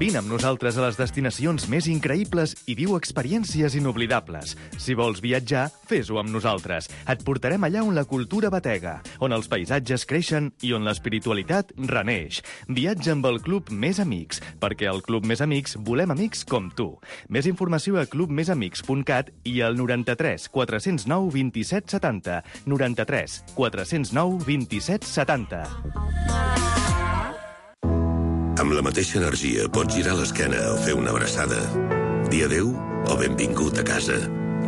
Vine amb nosaltres a les destinacions més increïbles i viu experiències inoblidables. Si vols viatjar, fes-ho amb nosaltres. Et portarem allà on la cultura batega, on els paisatges creixen i on l'espiritualitat reneix. Viatja amb el Club Més Amics, perquè al Club Més Amics volem amics com tu. Més informació a clubmesamics.cat i al 93 409 27 70. 93 409 27 70. Amb la mateixa energia pots girar l'esquena o fer una abraçada. Dir adéu o benvingut a casa.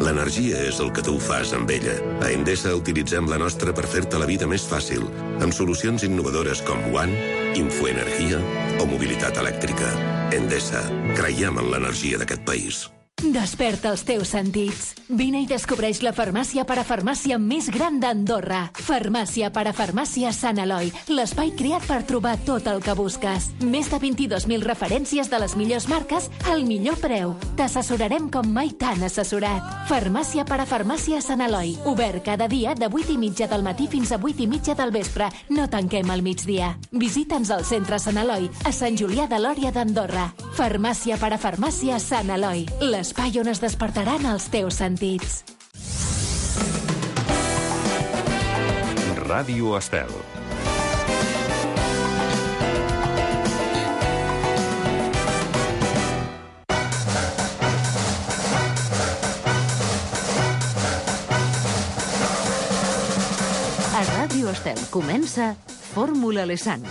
L'energia és el que tu fas amb ella. A Endesa utilitzem la nostra per fer-te la vida més fàcil, amb solucions innovadores com One, Infoenergia o mobilitat elèctrica. Endesa. Creiem en l'energia d'aquest país. Desperta els teus sentits. Vine i descobreix la farmàcia parafarmàcia més gran d'Andorra. Farmàcia parafarmàcia Sant Eloi, l'espai creat per trobar tot el que busques. Més de 22.000 referències de les millors marques al millor preu. T'assessorarem com mai t'han assessorat. Farmàcia parafarmàcia Sant Eloi. Obert cada dia de 8:30 del matí fins a 8:30 del vespre. No tanquem al migdia. Visita'ns al centre Sant Eloi, a Sant Julià de Lòria d'Andorra. Farmàcia parafarmàcia Sant Eloi. L'espai on es despertaran els teus sentits. Ràdio Estel. A Ràdio Estel comença Fórmula Lesan.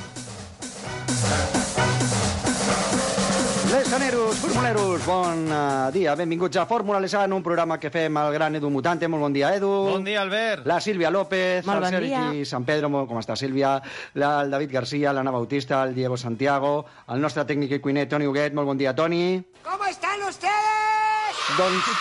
Lesaneros, formuleros, bon dia. Benvinguts a Fórmula Lesan, un programa que fem el gran Edu Mutante. Molt bon dia, Edu. Bon dia, Albert. La Sílvia López, Molt el bon Sergi dia. San Pedro, com està, Sílvia? El David Garcia, l'Anna Bautista, el Diego Santiago, el nostre tècnic i cuiner, Toni Huguet. Molt bon dia, Toni. ¿Cómo están ustedes? Doncs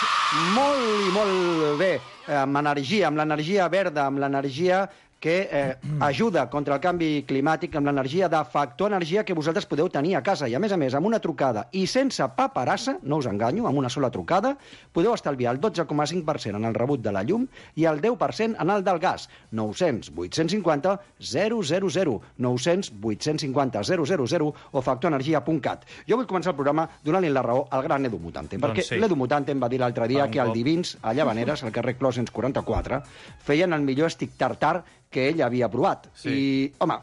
molt i molt bé, amb l'energia verda, amb l'energia que ajuda contra el canvi climàtic, amb l'energia de Factor Energia que vosaltres podeu tenir a casa. I, a més, amb una trucada i sense paperassa, no us enganyo, amb una sola trucada, podeu estalviar el 12,5% en el rebut de la llum i el 10% en el del gas. 900 850 000, 900 850 000 o factorenergia.cat. Jo vull començar el programa donant-li la raó al gran Edu Mutante, perquè sí. l'Edu Mutante em va dir l'altre dia que al Divins, a Llavaneres, al carrer Clos 44, feien el millor stick tartar que ell havia provat. Sí. I, home,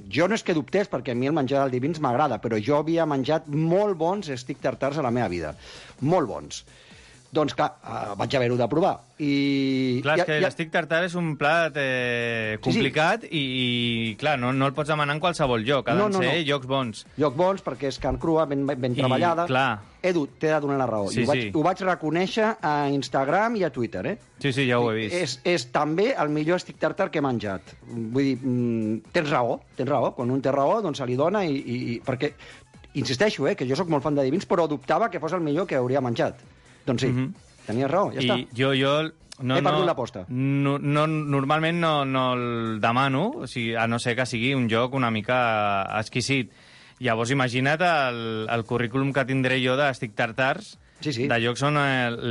jo no és que dubtés, perquè a mi el menjar del Divins m'agrada, però jo havia menjat molt bons stick tartars a la meva vida. Molt bons. Doncs, clar, vaig haver-ho de provar. I... Clar, és que l'estic tartar és un plat complicat i clar, no el pots demanar en qualsevol lloc. Ha de ser llocs bons. Llocs bons, perquè és carn crua, ben treballada. Clar. Edu, t'he de donar la raó. Sí, ho vaig reconèixer a Instagram i a Twitter, Sí, ja ho he vist. És també el millor stick tartar que he menjat. Vull dir, tens raó. Quan un té raó, doncs se li dona perquè, insisteixo, que jo sóc molt fan de Divins, però dubtava que fos el millor que hauria menjat. Doncs sí, tenies raó, ja està. I jo he perdut l'aposta. Normalment no el demano, o sigui, a no ser que sigui un joc una mica exquisit. Llavors, imagina't el currículum que tindré jo d'estick tartars, de llocs on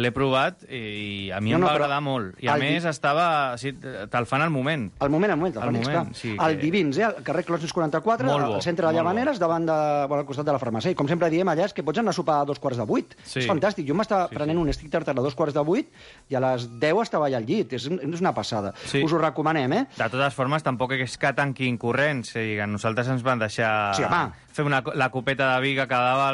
l'he provat i a mi em va agradar molt. I a més te'l fan al moment. Al moment, sí, el Divins, al carrer Clos 44, al centre de Llavaneres, al costat de la farmàcia. I com sempre diem allà és que pots anar a sopar a 7:45. És fantàstic. Jo m'estava prenent un stick tartar a 7:45 i a les 10 estava allà al llit. És una passada. Us ho recomanem, De totes formes, tampoc és que tanquin corrents. A nosaltres ens van deixar fer la copeta de vi que quedava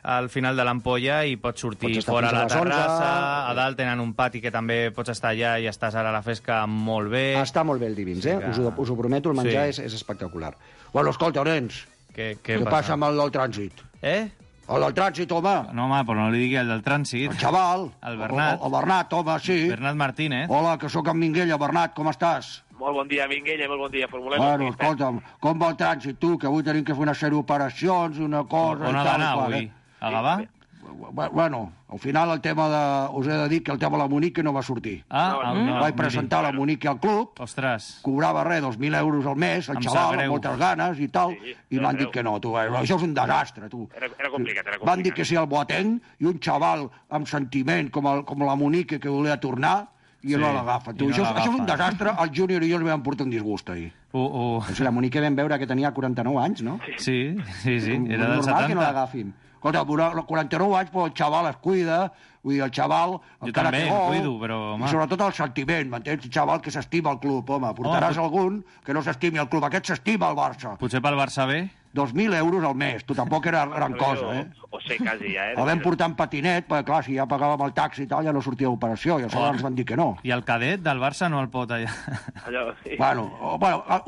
al final de l'ampolla i pots sortir fora a la terrassa, a dalt tenen un pati que també pots estar allà i estàs ara a la fresca molt bé. Està molt bé el Divins, us ho prometo, el menjar és espectacular. Bueno, escolta, nens, què passa amb el del trànsit? El del trànsit, home. No, home, però no li digui el del trànsit. El xaval. El Bernat. El Bernat, home, sí. Bernat Martínez. Hola, que sóc en Minguella. Bernat, com estàs? Molt bon dia, Minguella, molt bon dia, formulem. Bueno, escolta'm, com va el trànsit, tu, que avui tenim que fer una sèrie d'operacions, una cosa... On ha d'anar avui? A Gavà? Bueno, al final us he de dir que el tema de la Monique no va sortir. Vaig presentar la Monique al club. Ostres. Cobrava 2.000 euros al mes, el xaval, amb moltes ganes i tal, i m'han dit que no, tu, això és un desastre, tu. Era complicat. Van dir que sí al Boateng, i un xaval amb sentiment com la Monique que volia tornar, i no l'agafa. Això és un desastre. El Júnior i jo ens vam portar un disgust ahir. O sigui, la Monique vam veure que tenia 49 anys, no? Sí. Era del 70. Normal que no l'agafin. Escolta, 49 anys, però el xaval es cuida, vull dir, el xaval... Jo també em cuido, però... I sobretot el sentiment, m'entens? El xaval que s'estima el club, home. Portaràs algun que no s'estimi el club. Aquest s'estima el Barça. Potser pel Barça B? 2.000 euros al mes. Tu tampoc era gran cosa, O sé, quasi ja, El vam portar en patinet, perquè clar, si ja pagàvem el taxi i tal, ja no sortia d'operació, i aleshores ens van dir que no. I el cadet del Barça no el pot allà? Bueno,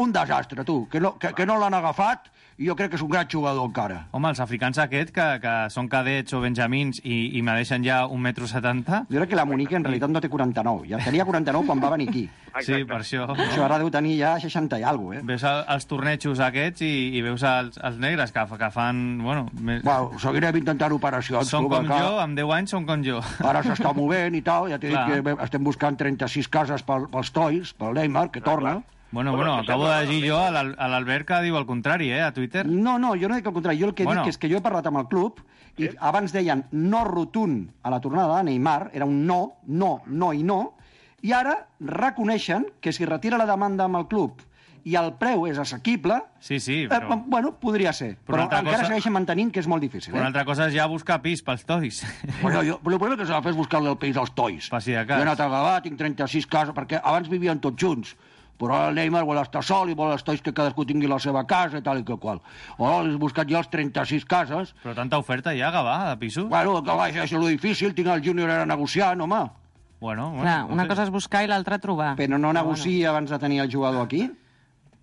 un desastre, tu. Que no l'han agafat, i jo crec que és un gran jugador encara. Home, els africans aquests, que són cadets o benjamins i me deixen ja 1,70 m... Jo crec que la Monique en realitat no té 49. Ja tenia 49 quan va venir aquí. Sí, per això. Això ara deu tenir ja 60 i alguna cosa, Veus els tornejos aquests i veus els negres que fan... Bueno, seguirem intentant operacions. Són com jo, amb 10 anys són com jo. Ara s'està movent i tal, ja t'he dit que estem buscant 36 cases pels Toys, pel Neymar, que torna. Bueno, acabo de llegir jo a l'Albert que diu el contrari, a Twitter. No, jo no dic el contrari. Jo el que dic és que jo he parlat amb el club i abans deien no rotund a la tornada de Neymar, era un no i no, i ara reconeixen que si retira la demanda amb el club i el preu és assequible, però... podria ser. Però encara segueixen mantenint que és molt difícil. Una altra cosa és ja buscar pis pels Toys. Però el problema que s'ha de fer és buscar-li el pis als Toys. Per si de cas. Jo he anat a Gavà, tinc 36 cases, perquè abans vivien tots junts. Però el Neymar vol estar sol i vol els Toys que cadascú tingui la seva casa i tal i que qual. He buscat ja els 36 cases. Però tanta oferta ja, Gavà, de pisos? Bueno, Gavà, això és lo difícil, tinc el Júnior ara negociant, home. Bueno, clar, una cosa és buscar i l'altra trobar. Però no negocia abans de tenir el jugador aquí?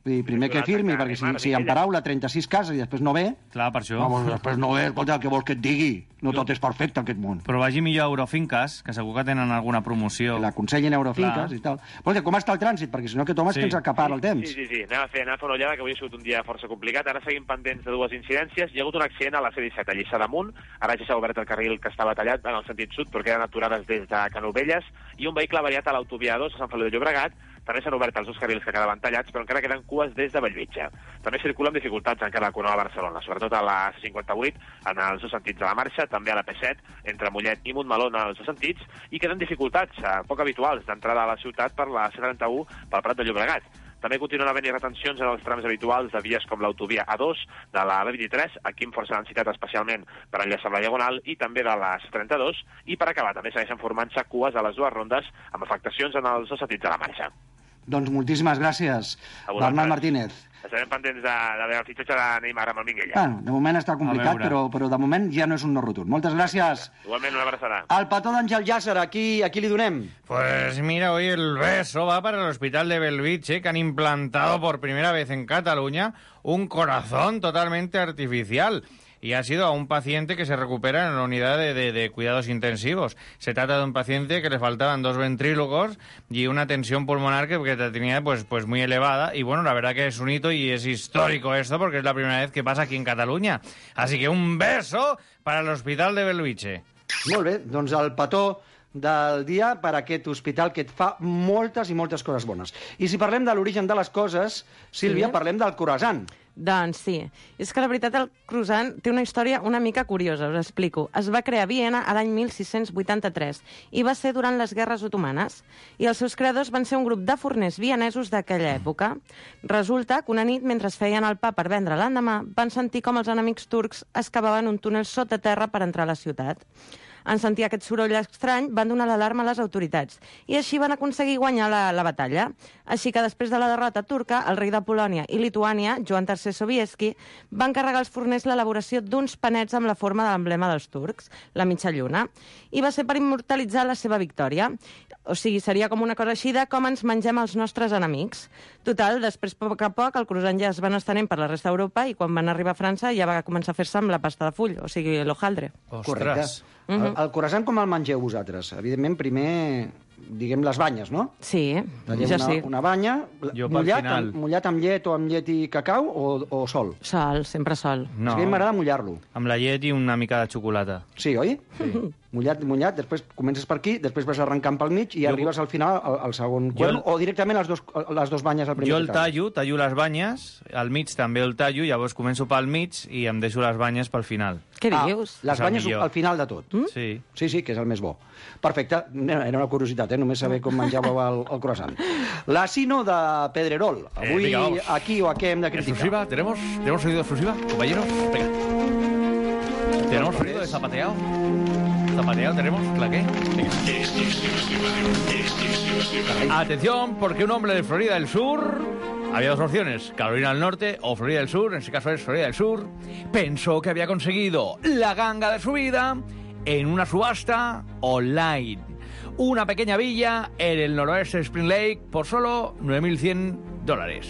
Vull dir, primer que firmi, perquè si en paraula 36 cases i després no ve... Clar, per això. Després no ve, escolta, què vols que et digui? No tot és perfecte, aquest món. Però vagi millor a Eurofinques, que segur que tenen alguna promoció. L'aconsellen a Eurofinques i tal. Però com està el trànsit? Perquè si no, aquest home és que ens acapara el temps. Sí. Anem a fer una ullada, que avui ha sigut un dia força complicat. Ara seguim pendents de dues incidències. Hi ha hagut un accident a la C-17, a Lliçà d'Amunt. Ara ja s'ha obert el carril que estava tallat en el sentit sud, però queden aturades des de Canovelles. I un vehicle variat a l'autovia 2 a Sant Feliu de Llobregat. També s'han obert els dos carrils que quedaven tallats, però encara queden cues des de Bellvitge. També circula amb dificultats encara la Corona de Barcelona, sobretot a la C58, en els dos sentits de la marxa, també a la P7, entre Mollet i Montmeló en els dos sentits, i queden dificultats poc habituals d'entrada a la ciutat per la C31 pel Prat de Llobregat. També continuen havent-hi retencions en els trams habituals de vies com l'autovia A2, de la B23, aquí amb força densitat especialment per enllaçar la Diagonal, i també de la C32, i per acabar també segueixen formant-se cues a les dues rondes amb afectacions en els dos sentits de la marxa. Doncs moltíssimes gràcies, Bernat Martínez. Estarem pendents de veure el fitxatge de Neymar amb el Minguella. Bueno, de moment està complicat, però de moment ja no és un no rotund. Moltes gràcies. Igualment, una abraçada. El petó d'Àngel Llàcer, a qui li donem? Pues mira, hoy el beso va para el Hospital de Bellvitge, que han implantado por primera vez en Cataluña un corazón totalmente artificial. Y ha sido a un paciente que se recupera en la unidad de cuidados intensivos. Se trata de un paciente que le faltaban 2 ventrílogos y una tensión pulmonar que tenía pues muy elevada. Y bueno, la verdad que es un hito y es histórico esto porque es la primera vez que pasa aquí en Cataluña. Así que un beso para el Hospital de Bellvitge. Molt bé, doncs el petó del dia per a aquest hospital que et fa moltes i moltes coses bones. I si parlem de l'origen de les coses, Sílvia, parlem del croissant. Doncs sí. És que la veritat el croissant té una història una mica curiosa, us explico. Es va crear a Viena a l'any 1683 i va ser durant les guerres otomanes. I els seus creadors van ser un grup de forners vienesos d'aquella època. Resulta que una nit, mentre feien el pa per vendre l'endemà, van sentir com els enemics turcs excavaven un túnel sota terra per entrar a la ciutat. En sentir aquest soroll estrany, van donar l'alarma a les autoritats i així van aconseguir guanyar la batalla. Així que després de la derrota turca, el rei de Polònia i Lituània, Joan III Sobieski, va encarregar als forners l'elaboració d'uns panets amb la forma de l'emblema dels turcs, la mitja lluna, i va ser per immortalitzar la seva victòria. O sigui, seria com una cosa així de com ens mengem els nostres enemics. Total, després, a poc, el croissant ja es van estenent per la resta d'Europa i quan van arribar a França ja va començar a fer-se amb la pasta de full, o sigui, l'hojaldre. Correcte. El croissant com el mengeu vosaltres? Evidentment, primer, diguem, les banyes, no? Sí, jo sí. Una banya, mullat amb llet o amb llet i cacau o sol? Sol, sempre sol. No. O sigui, m'agrada mullar-lo. Amb la llet i una mica de xocolata. Sí, oi? Sí. Mullat, després comences per aquí, després vas arrencant pel mig i arribes al final al segon quart, o directament les dos banyes al primer. Jo el tallo les banyes, al mig també el tallo, llavors començo pel mig i em deixo les banyes pel final. Què dius? Les banyes al final de tot. Sí. Sí, que és el més bo. Perfecte, era una curiositat, només saber com menjàveu el croissant. La Sino de Pedrerol. Avui, aquí o aquí hem de criticar. Exclusiva, ¿tenemos sonido exclusiva, compañeros? Venga. ¿Tenemos sonido de zapateado? ¿Zapateado tenemos? ¿Claqué? Venga. Atención, porque un hombre de Florida del Sur... Había dos opciones, Carolina del Norte o Florida del Sur, en este caso es Florida del Sur, pensó que había conseguido la ganga de su vida en una subasta online. Una pequeña villa en el noroeste de Spring Lake por solo $9.100.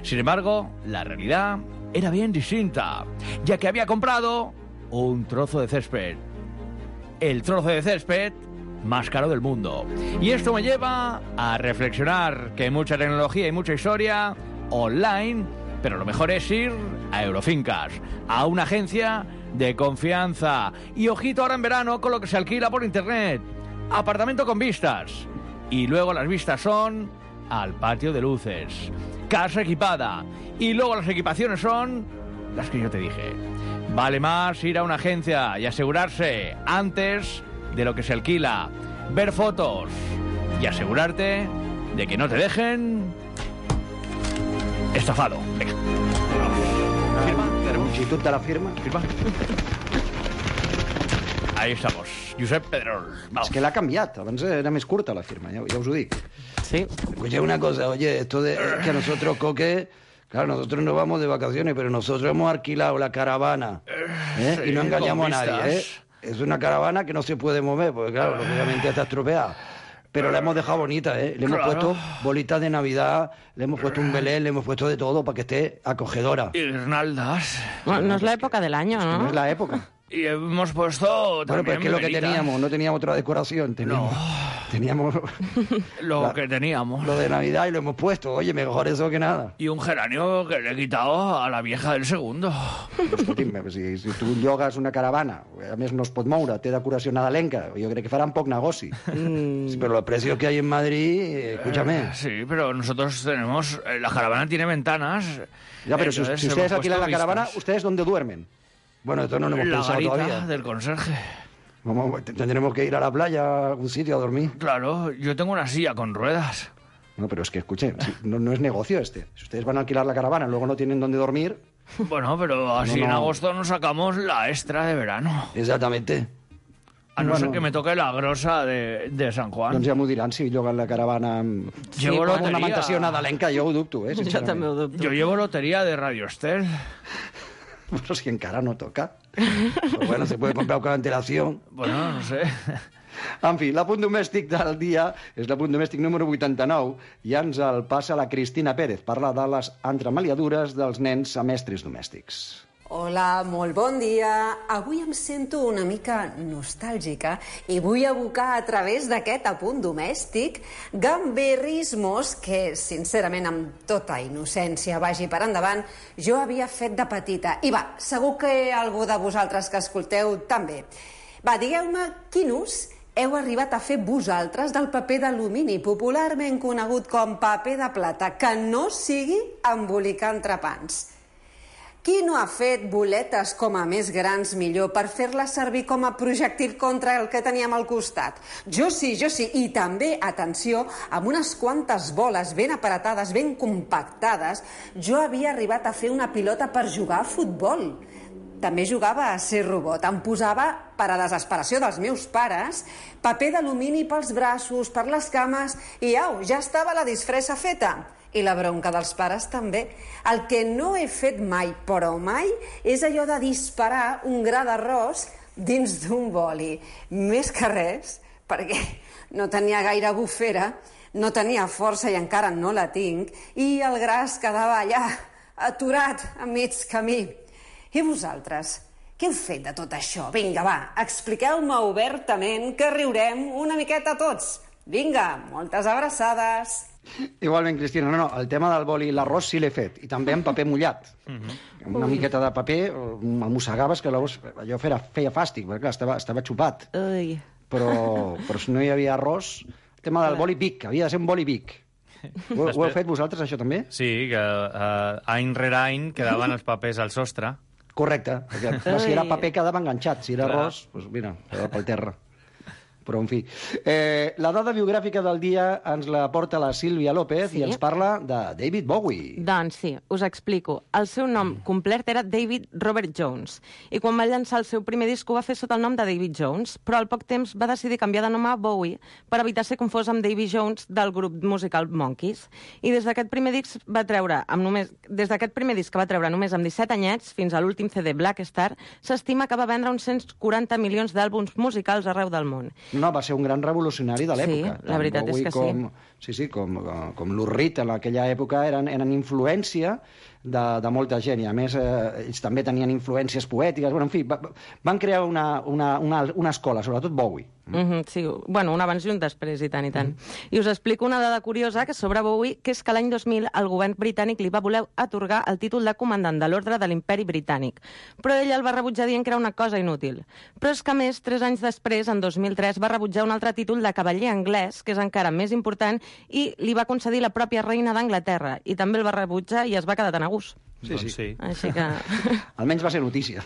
Sin embargo, la realidad era bien distinta, ya que había comprado un trozo de césped. El trozo de césped más caro del mundo. Y esto me lleva a reflexionar que hay mucha tecnología y mucha historia online, pero lo mejor es ir a Eurofincas, a una agencia de confianza. Y ojito ahora en verano con lo que se alquila por internet. Apartamento con vistas. Y luego las vistas son al patio de luces. Casa equipada. Y luego las equipaciones son las que yo te dije. Vale más ir a una agencia y asegurarse antes de lo que se alquila, ver fotos y asegurarte de que no te dejen estafado. Venga. Firma. Longitud de la firma. Firma. Ahí estamos. Josep Pedrerol. Es que l'ha canviat. Abans era més curta la firma, ja us ho dic. Sí. Escucha una cosa, oye, esto de que a nosotros, Coque... Claro, nosotros no vamos de vacaciones, pero nosotros hemos alquilado la caravana, ¿eh? Sí, y no engañamos a nadie, ¿eh? vistas. Es una caravana que no se puede mover, porque claro, lógicamente está estropeada. Pero la hemos dejado bonita, ¿eh? Le hemos puesto bolitas de Navidad, le hemos puesto un belén, le hemos puesto de todo para que esté acogedora. Y guirnaldas. No es la época del año, ¿no? No es la época. Y hemos puesto Bueno, pues es que lo que teníamos, no teníamos otra decoración. Teníamos lo que teníamos. Lo de Navidad y lo hemos puesto. Oye, mejor eso que nada. Y un geranio que le he quitado a la vieja del segundo. Escolti'm, si tu llogues una caravana, a més no es pot moure, té decoració nadalenca, jo crec que faran poc negoci. Sí, pero los precios que hay en Madrid, escúchame. Sí, pero nosotros tenemos... la caravana tiene ventanas. Ya, pero si ustedes alquilan la caravana, ¿ustedes dónde duermen? Bueno, esto no lo hemos la pensado garita todavía. del conserje. Tendremos que ir a la playa, a algún sitio a dormir. Claro, yo tengo una silla con ruedas. No, pero es que, escuchen, no es negocio este. Si ustedes van a alquilar la caravana y luego no tienen dónde dormir... Bueno, pero así en agosto nos sacamos la extra de verano. Exactamente. A no ser que me toque la grosa de San Juan. Doncs ja m'ho diran si lloguen la caravana amb Llevo una lotería. ornamentació nadalenca, jo ho dubto, Jo també ho dubto. Yo llevo lotería de Radio Estel. Però si encara no toca. Pues bueno, se puede comprar con antelación. Bueno, no sé. En fi, l'apunt domèstic del dia és l'apunt domèstic número 89 i ens el passa la Cristina Pérez. Parla de les entremaliadures dels nens a mestres domèstics. Hola, molt bon dia. Avui em sento una mica nostàlgica i vull abocar a través d'aquest apunt domèstic gamberrismos que, sincerament, amb tota innocència vagi per endavant, jo havia fet de petita. I va, segur que algú de vosaltres que escolteu també. Va, digueu-me quin ús heu arribat a fer vosaltres del paper d'alumini, popularment conegut com paper de plata, que no sigui embolicar entrepans. Qui no ha fet boletes com a més grans millor per fer-les servir com a projectil contra el que teníem al costat? Jo sí, i també, atenció, amb unes quantes boles ben aparatades, ben compactades, jo havia arribat a fer una pilota per jugar a futbol. També jugava a ser robot. Em posava, per a desesperació dels meus pares, paper d'alumini pels braços, per les cames, i au, ja estava la disfressa feta. I la bronca dels pares també. El que no he fet mai, però mai, és allò de disparar un gra d'arròs dins d'un boli. Més que res, perquè no tenia gaire bufera, no tenia força i encara no la tinc, i el gra es quedava allà, aturat, a mig camí. I vosaltres, què heu fet de tot això? Vinga, va, expliqueu-me obertament que riurem una miqueta tots. Vinga, moltes abraçades. Igualment, Cristina, no, el tema del boli i l'arròs sí l'he fet, i també amb paper mullat. Amb una miqueta de paper, el mossegaves, que llavors allò feia fàstic, perquè clar, estava xupat. Però si no hi havia arròs, el tema del boli Vic, havia de ser un boli Vic. Ho heu fet vosaltres, això també? Sí, que any rere any quedaven els papers al sostre. Correcte, perquè si era paper quedava enganxat, si era arròs, doncs mira, quedava pel terra. Però, en fi. La dada biogràfica del dia ens la porta la Sílvia López i ens parla de David Bowie. Doncs sí, us explico. El seu nom complet era David Robert Jones, i quan va llançar el seu primer disc ho va fer sota el nom de David Jones, però al poc temps va decidir canviar de nom a Bowie per evitar ser confós amb Davy Jones del grup musical Monkees. I des d'aquest primer disc que va treure només amb 17 anyets fins a l'últim CD Black Star, s'estima que va vendre uns 140 milions d'àlbums musicals arreu del món. No, va ser un gran revolucionari de l'època. Sí, la veritat és que sí. Com Lou Reed en aquella època eren influència de molta gent, i a més ells també tenien influències poètiques. Bueno, en fi, van crear una escola, sobretot Bowie. Sí, bueno, un abans i un després, i tant, i tant. I us explico una dada curiosa que sobre Bowie, que és que l'any 2000 el govern britànic li va voler atorgar el títol de comandant de l'ordre de l'imperi britànic, però ell el va rebutjar dient que era una cosa inútil. Però és que, a més, 3 anys després, en 2003, va rebutjar un altre títol de cavaller anglès, que és encara més important, i li va concedir la pròpia reina d'Anglaterra, i també el va rebutjar i es va quedar tan a gust. Sí. Així que... Almenys va ser notícia.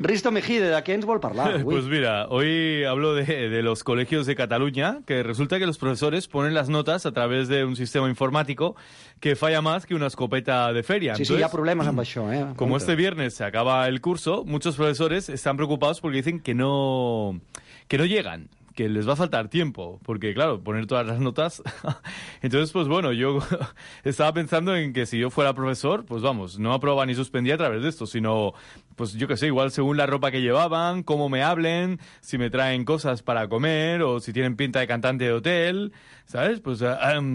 Risto Mejide, ¿de qué nos vuelve a hablar? Pues mira, hoy hablo de los colegios de Cataluña, que resulta que los profesores ponen las notas a través de un sistema informático que falla más que una escopeta de feria. Sí, hi ha problemes amb això. Como este viernes se acaba el curso, muchos profesores están preocupados porque dicen que no llegan, que les va a faltar tiempo, porque claro, poner todas las notas... Entonces, pues bueno, yo estaba pensando en que si yo fuera profesor, pues vamos, no aprobaba ni suspendía a través de esto, sino, pues yo qué sé, igual según la ropa que llevaban, cómo me hablen, si me traen cosas para comer, o si tienen pinta de cantante de hotel, ¿sabes? Pues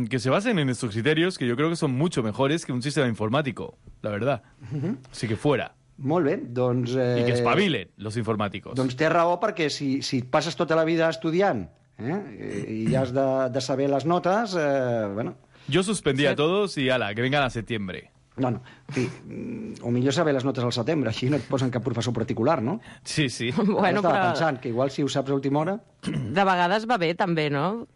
que se basen en estos criterios, que yo creo que son mucho mejores que un sistema informático, la verdad. Así que fuera. Molt bé, doncs... I que espavilen, los informàticos. Doncs té raó, perquè si passes tota la vida estudiant i has de saber les notes, bueno... Yo suspendía a todos y ala, que vengan a septiembre. No, en fi, o millor saber les notes al setembre, així no et posen cap professor particular, no? Sí, sí. Bueno, estava pensant que igual si ho saps a última hora... De vegades va bé, també, no?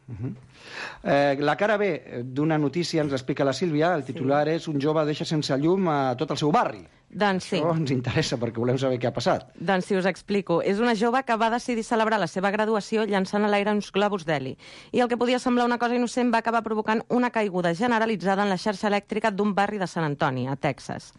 La cara B d'una notícia ens explica la Sílvia. El titular és un jove deixa sense llum a tot el seu barri. Doncs sí. Això ens interessa perquè volem saber què ha passat. Doncs sí, us explico. És una jove que va decidir celebrar la seva graduació llançant a l'aire uns globus d'heli. I el que podia semblar una cosa innocent va acabar provocant una caiguda generalitzada en la xarxa elèctrica d'un barri de Sant Antoni, a Texas.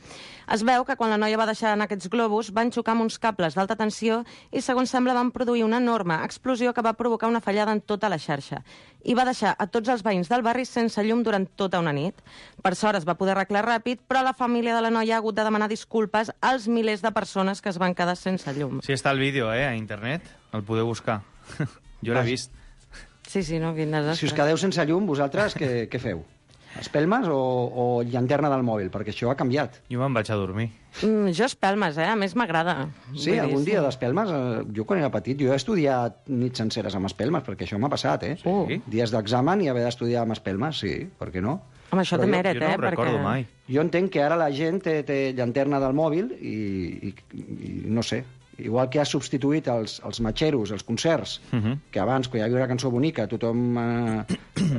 Es veu que quan la noia va deixar en aquests globus van xocar amb uns cables d'alta tensió i, segons sembla, van produir una enorme explosió que va provocar una fallada en tota la xarxa. I va deixar a tots els veïns del barri sense llum durant tota una nit. Per sort es va poder arreglar ràpid, però la família de la noia ha hagut de demanar disculpes als milers de persones que es van quedar sense llum. Sí, està el vídeo, a internet. El podeu buscar. Jo l'he vist. Sí, no, quin desastre. Si us quedeu sense llum, vosaltres què feu? Espelmes o llanterna del mòbil? Perquè això ha canviat. Jo me'n vaig a dormir. Jo espelmes, a més m'agrada. Sí, algun dia d'espelmes. Jo quan era petit, jo he estudiat nits senceres amb espelmes, perquè això m'ha passat, Dies d'examen i haver d'estudiar amb espelmes, sí, per què no? Home, això té mèrit, jo no ho recordo mai. Jo entenc que ara la gent té llanterna del mòbil i no sé, igual que ha substituït els matxeros, els concerts, que abans, quan hi havia una cançó bonica, tothom,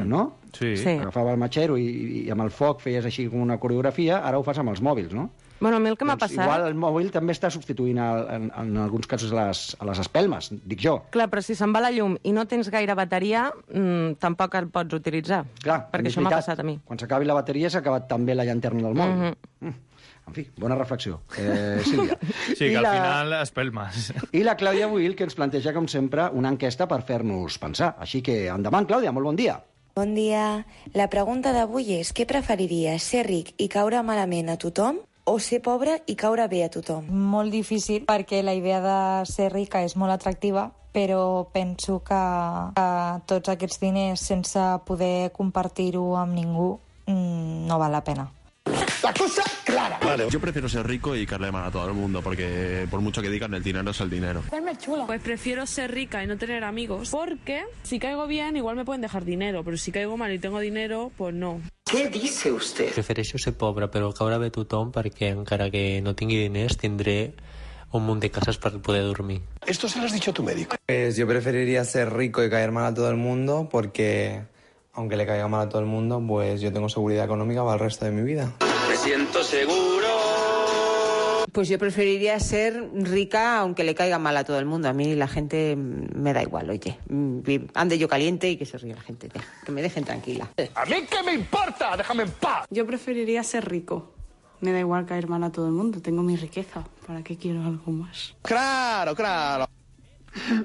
no? Sí. Agafava el matxero i amb el foc feies així com una coreografia, ara ho fas amb els mòbils, no? Bueno, a mi el que m'ha passat... Igual el mòbil també està substituint en alguns casos a les espelmes, dic jo. Clar, però si se'n va la llum i no tens gaire bateria, tampoc el pots utilitzar. Clar, perquè això m'ha passat a mi. Quan s'acabi la bateria s'ha acabat també la llanterna del mòbil. En fi, bona reflexió. Sílvia. Sí, que al final espelmes. I la Clàudia Buil, que ens planteja, com sempre, una enquesta per fer-nos pensar. Així que endavant, Clàudia, molt bon dia. Bon dia. La pregunta d'avui és: què preferiries, ser ric i caure malament a tothom o ser pobre i caure bé a tothom? Molt difícil, perquè la idea de ser rica és molt atractiva, però penso que tots aquests diners sense poder compartir-ho amb ningú no val la pena. La cosa clara. Vale, yo prefiero ser rico y caerle mal a todo el mundo, porque por mucho que digan, el dinero es el dinero. Pues prefiero ser rica y no tener amigos, porque si caigo bien igual me pueden dejar dinero, pero si caigo mal y tengo dinero, pues no. Què dice usted? Prefereixo ser pobre, però caure bé tothom, perquè encara que no tingui diners tindré un munt de cases para poder dormir. Esto se lo has dicho a tu médico. Pues yo preferiría ser rico y caer mal a todo el mundo, porque aunque le caiga mal a todo el mundo, pues yo tengo seguridad económica para el resto de mi vida. Me siento seguro. Pues yo preferiría ser rica aunque le caiga mal a todo el mundo. A mí la gente me da igual, oye. Ande yo caliente y que se ríe la gente. Que me dejen tranquila. ¿A mí qué me importa? Déjame en paz. Yo preferiría ser rico. Me da igual caer mal a todo el mundo. Tengo mi riqueza. ¿Para qué quiero algo más? Claro.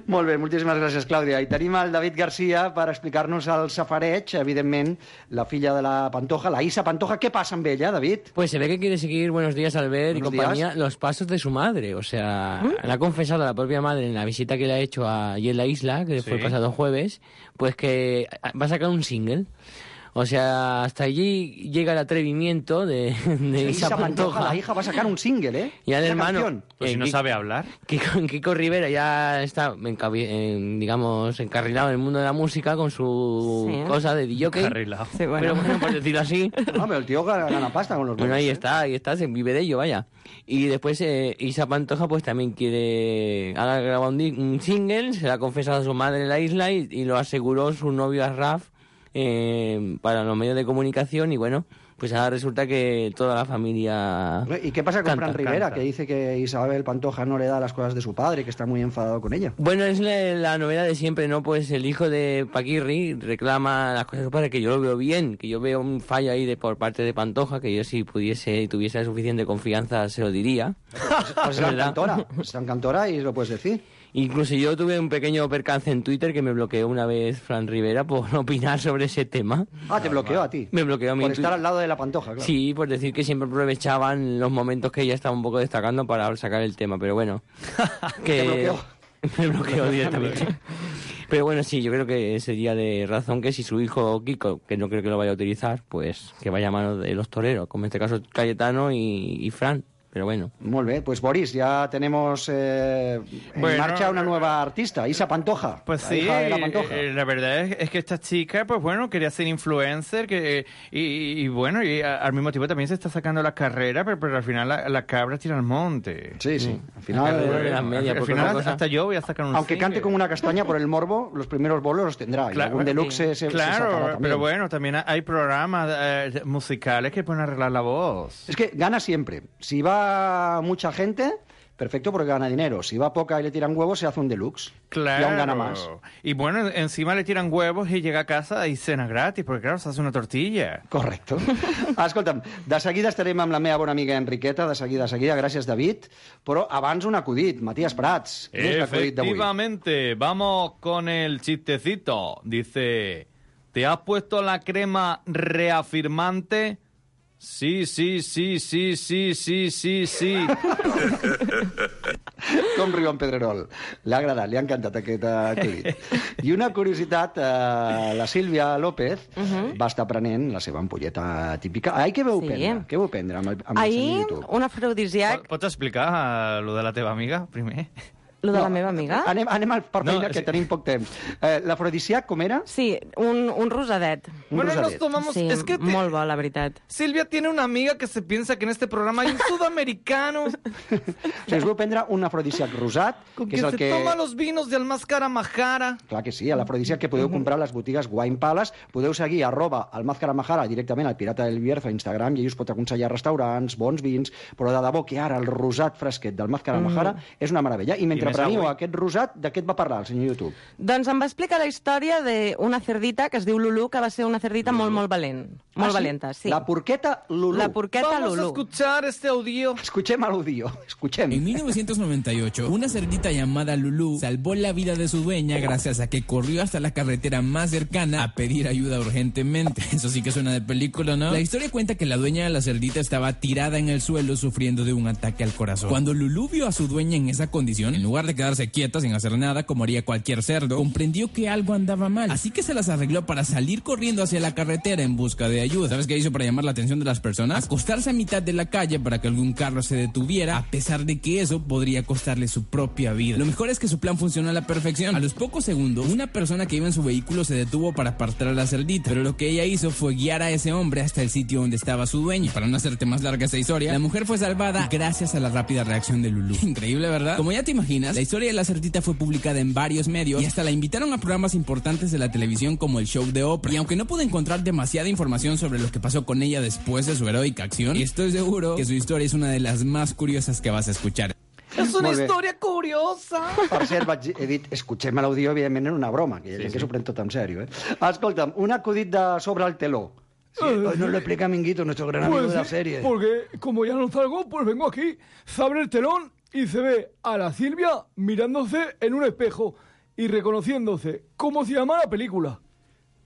Molt bé, moltíssimes gràcies, Clàudia. I tenim el David Garcia per explicar-nos el safareig, evidentment, la filla de la Pantoja, la Isa Pantoja. ¿Qué pasa amb ella, David? Pues se ve que quiere seguir, buenos días, Albert, y compañía, los pasos de su madre. O sea, le ha confesado a la propia madre en la visita que le ha hecho allí en la isla, que fue el pasado jueves, pues que va a sacar un single. O sea, hasta allí llega el atrevimiento de Isa Pantoja. La hija va a sacar un single, ¿eh? Y al hermano... Pues si no sabe hablar. Kiko Rivera ya está, digamos, encarrilado en el mundo de la música con su cosa de DJ. Encarrilado. Sí, bueno, por decirlo así. No, pero el tío gana pasta con los Bueno, ahí está, se vive de ello, vaya. Y después Isa Pantoja pues también ha grabado un single, se lo ha confesado a su madre en la isla y lo aseguró su novio Asraf para los medios de comunicación y bueno, pues ahora resulta que toda la familia... ¿Y qué pasa con Fran Rivera, que dice que Isabel Pantoja no le da las cosas de su padre, que está muy enfadado con ella? Bueno, es la novedad de siempre, ¿no? Pues el hijo de Paquirri reclama las cosas de su padre, que yo lo veo bien, que yo veo un fallo ahí por parte de Pantoja, que yo si pudiese y tuviese suficiente confianza se lo diría. Pues está en Cantora y lo puedes decir. Incluso yo tuve un pequeño percance en Twitter que me bloqueó una vez Fran Rivera por opinar sobre ese tema. Ah, ¿te bloqueó a ti? Me bloqueó a mí. Por estar al lado de la Pantoja, claro. Sí, por decir que siempre aprovechaban los momentos que ella estaba un poco destacando para sacar el tema, pero bueno. ¿Te bloqueó? Me bloqueó directamente. Pero bueno, sí, yo creo que sería de razón que si su hijo Kiko, que no creo que lo vaya a utilizar, pues que vaya a manos de los toreros, como en este caso Cayetano y Fran. Pero bueno. Muy bien, pues Boris, ya tenemos en marcha una nueva artista, Isa Pantoja. Pues sí, hija de la Pantoja. La verdad es que esta chica, pues bueno, quería ser influencer y bueno, y al mismo tiempo también se está sacando la carrera, pero al final la cabra tira al monte. Sí, al final, hasta yo voy a sacar un aunque single. cante como una castaña por el morbo, los primeros bolos los tendrá. Claro, y algún deluxe se sacará también. Pero bueno, también hay programas musicales que pueden arreglar la voz. Es que gana siempre. Si va mucha gente, perfecto, porque gana dinero. Si va poca y le tiran huevos, se hace un deluxe. Claro. Y aún gana más. Y bueno, encima le tiran huevos y llega a casa y cena gratis, porque claro, se hace una tortilla. Correcto. Escolta'm, de seguida estarem amb la meva bona amiga Enriqueta, de seguida. Gràcies, David. Però abans un acudit. Matías Prats. Efectivamente. Vamos con el chistecito. Dice, ¿te has puesto la crema reafirmante? Sí. Com riu en Pedrerol. L'ha agradat, li ha encantat aquest acudit. I una curiositat, la Sílvia López va estar prenent la seva ampolleta típica. Què veu prendre? Què veu prendre amb el YouTube? Un afrodisíac. Pots explicar lo de la teva amiga, primer? Lo de la meva amiga? Anem per feina, que tenim poc temps. L'afrodisíac, com era? Sí, un rosadet. Bueno, nos tomamos... Sí, es que molt bo, la veritat. Silvia tiene una amiga que se piensa que en este programa hay un sudamericano. Si us veu prendre un afrodisíac rosat, que és el que... se toma los vinos del Máscara Majara. Clar que sí, l'afrodisíac que podeu comprar a les botigues Wine Palace. Podeu seguir @el Máscara Majara directament al Pirata del Bierzo a Instagram i ell us pot aconsellar restaurants, bons vins, però de debò que ara el rosat fresquet del Máscara Majara és una meravella. I mentre preniu aquest rosat, de què et va parlar el senyor YouTube? Doncs em va explicar la història d'una cerdita que es diu Lulú, que va ser una cerdita molt valent. Molt valenta, sí. La porqueta Lulú. La porqueta Lulú. Vamos a escuchar este audio. Escuchem l'audio. Escuchem. En 1998, una cerdita llamada Lulú salvó la vida de su dueña gracias a que corrió hasta la carretera más cercana a pedir ayuda urgentemente. Eso sí que suena de película, ¿no? La historia cuenta que la dueña de la cerdita estaba tirada en el suelo sufriendo de un ataque al corazón. Cuando Lulú vio a su dueña en esa condición, en lugar de quedarse quieta sin hacer nada como haría cualquier cerdo, comprendió que algo andaba mal, así que se las arregló para salir corriendo hacia la carretera en busca de ayuda. ¿Sabes qué hizo para llamar la atención de las personas? Acostarse a mitad de la calle para que algún carro se detuviera, a pesar de que eso podría costarle su propia vida. Lo mejor es que su plan funcionó a la perfección. A los pocos segundos, una persona que iba en su vehículo se detuvo para apartar a la cerdita, pero lo que ella hizo fue guiar a ese hombre hasta el sitio donde estaba su dueño. Para no hacerte más larga esta historia, la mujer fue salvada gracias a la rápida reacción de Lulú. Increíble, ¿verdad? Como ya te imaginas, Filipinas. La historia de la cerdita fue publicada en varios medios y hasta la invitaron a programas importantes de la televisión como el show de Oprah. Y aunque no pude encontrar demasiada información sobre lo que pasó con ella después de su heroica acción, estoy seguro que su historia es una de las más curiosas que vas a escuchar. És una història curiosa. Per cert, he dit, escoltem l'audio, evidentment, en una broma, que sí. S'ho pren tot en sèrio. Escolta'm, un acudit de sobre el teló. Sí, hoy nos lo explica Minguito, nuestro gran amigo de la serie. Porque como ya no salgo, pues vengo aquí, se abre el telón y se ve a la Silvia mirándose en un espejo y reconociéndose. ¿Cómo se llama la película?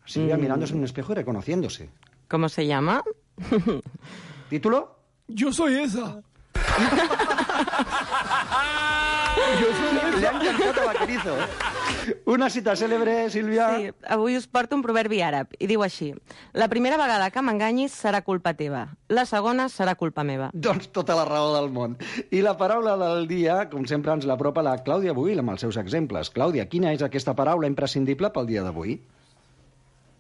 Silvia mirándose en un espejo y reconociéndose. ¿Cómo se llama? ¿Título? Yo soy esa. Le ha encantat a Vaquerizo. Una cita cèlebre, Sílvia. Sí, avui us porto un proverbi àrab i diu així: la primera vegada que m'enganyis serà culpa teva, la segona serà culpa meva. Doncs tota la raó del món. I la paraula del dia, com sempre, ens l'apropa la Clàudia Buil amb els seus exemples. Clàudia, quina és aquesta paraula imprescindible pel dia d'avui?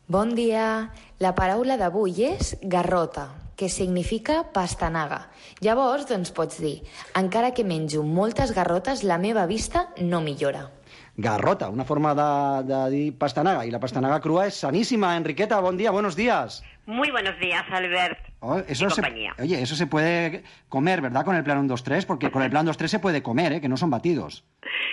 Bon dia. La paraula d'avui és garrota, que significa pastanaga. Llavors, doncs pots dir, encara que menjo moltes garrotes, la meva vista no millora. Garrota, una forma de dir pastanaga. Y la pastanaga crua es sanísima. Enriqueta, buen día, buenos días. Muy buenos días, Albert. Eso compañía. Oye, eso se puede comer, ¿verdad? Con el plan 1, 2, 3, porque con el plan 2, 3 se puede comer, que no son batidos.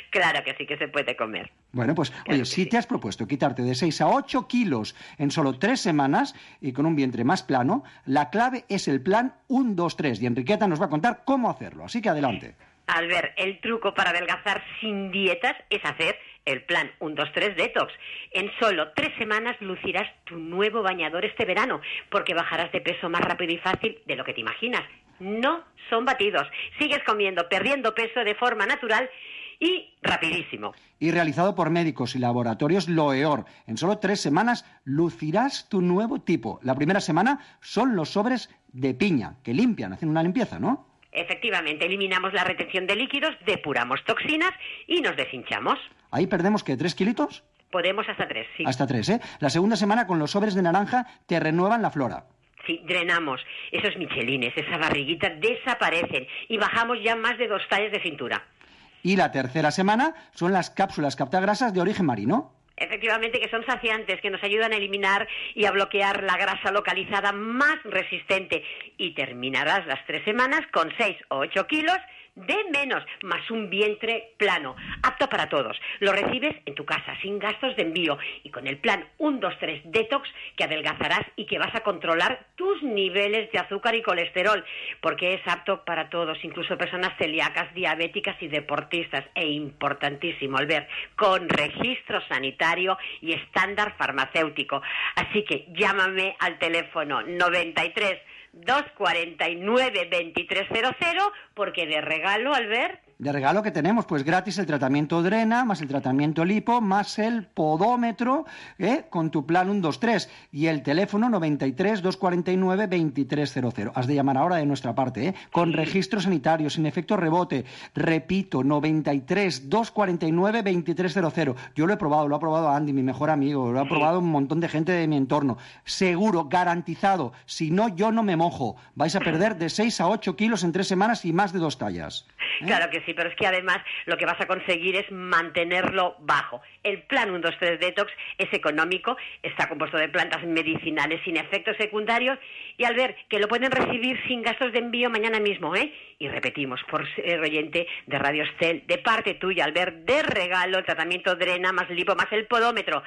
Claro que sí que se puede comer. Bueno, pues, claro, oye, si sí. Te has propuesto quitarte de 6 a 8 kilos en solo 3 semanas y con un vientre más plano, la clave es el plan 1, 2, 3. Y Enriqueta nos va a contar cómo hacerlo. Así que adelante. Albert, el truco para adelgazar sin dietas es hacer el plan 1, 2, 3 Detox. En solo 3 semanas lucirás tu nuevo bañador este verano, porque bajarás de peso más rápido y fácil de lo que te imaginas. No son batidos. Sigues comiendo, perdiendo peso de forma natural y rapidísimo. Y realizado por médicos y laboratorios Loeor. En solo 3 semanas lucirás tu nuevo tipo. La primera semana son los sobres de piña, que limpian, hacen una limpieza, ¿no? Efectivamente, eliminamos la retención de líquidos, depuramos toxinas y nos deshinchamos. ¿Ahí perdemos qué, 3 kilitos? Podemos hasta 3, sí. Hasta 3, ¿eh? La segunda semana con los sobres de naranja te renuevan la flora. Sí, drenamos. Esos michelines, esa barriguita desaparecen y bajamos ya más de 2 tallas de cintura. Y la tercera semana son las cápsulas captagrasas de origen marino. Efectivamente, que son saciantes, que nos ayudan a eliminar y a bloquear la grasa localizada más resistente. Y terminarás las 3 semanas con 6 o 8 kilos de menos, más un vientre plano, apto para todos. Lo recibes en tu casa, sin gastos de envío, y con el plan 1, 2, 3 Detox, que adelgazarás y que vas a controlar tus niveles de azúcar y colesterol, porque es apto para todos, incluso personas celíacas, diabéticas y deportistas. E importantísimo, Albert, con registro sanitario y estándar farmacéutico. Así que llámame al teléfono 93 249 2300, porque de regalo, Albert... De regalo que tenemos, pues gratis el tratamiento Drena, más el tratamiento Lipo, más el podómetro, con tu plan 1, 2, 3. Y el teléfono 93 249 2300. Has de llamar ahora de nuestra parte, con registro sanitario, sin efecto rebote. Repito, 93 249 2300. Yo lo he probado, lo ha probado Andy, mi mejor amigo, lo ha probado un montón de gente de mi entorno. Seguro, garantizado. Si no, yo no me mojo. Vais a perder de 6 a 8 kilos en 3 semanas y más de 2 tallas. Claro que sí, pero es que además lo que vas a conseguir es mantenerlo bajo. El plan 1, 2, 3 Detox es económico, está compuesto de plantas medicinales sin efectos secundarios y al ver que lo pueden recibir sin gastos de envío mañana mismo, Y repetimos, por ser oyente de Radio Estel, de parte tuya, al ver de regalo el tratamiento Drena, más Lipo, más el podómetro.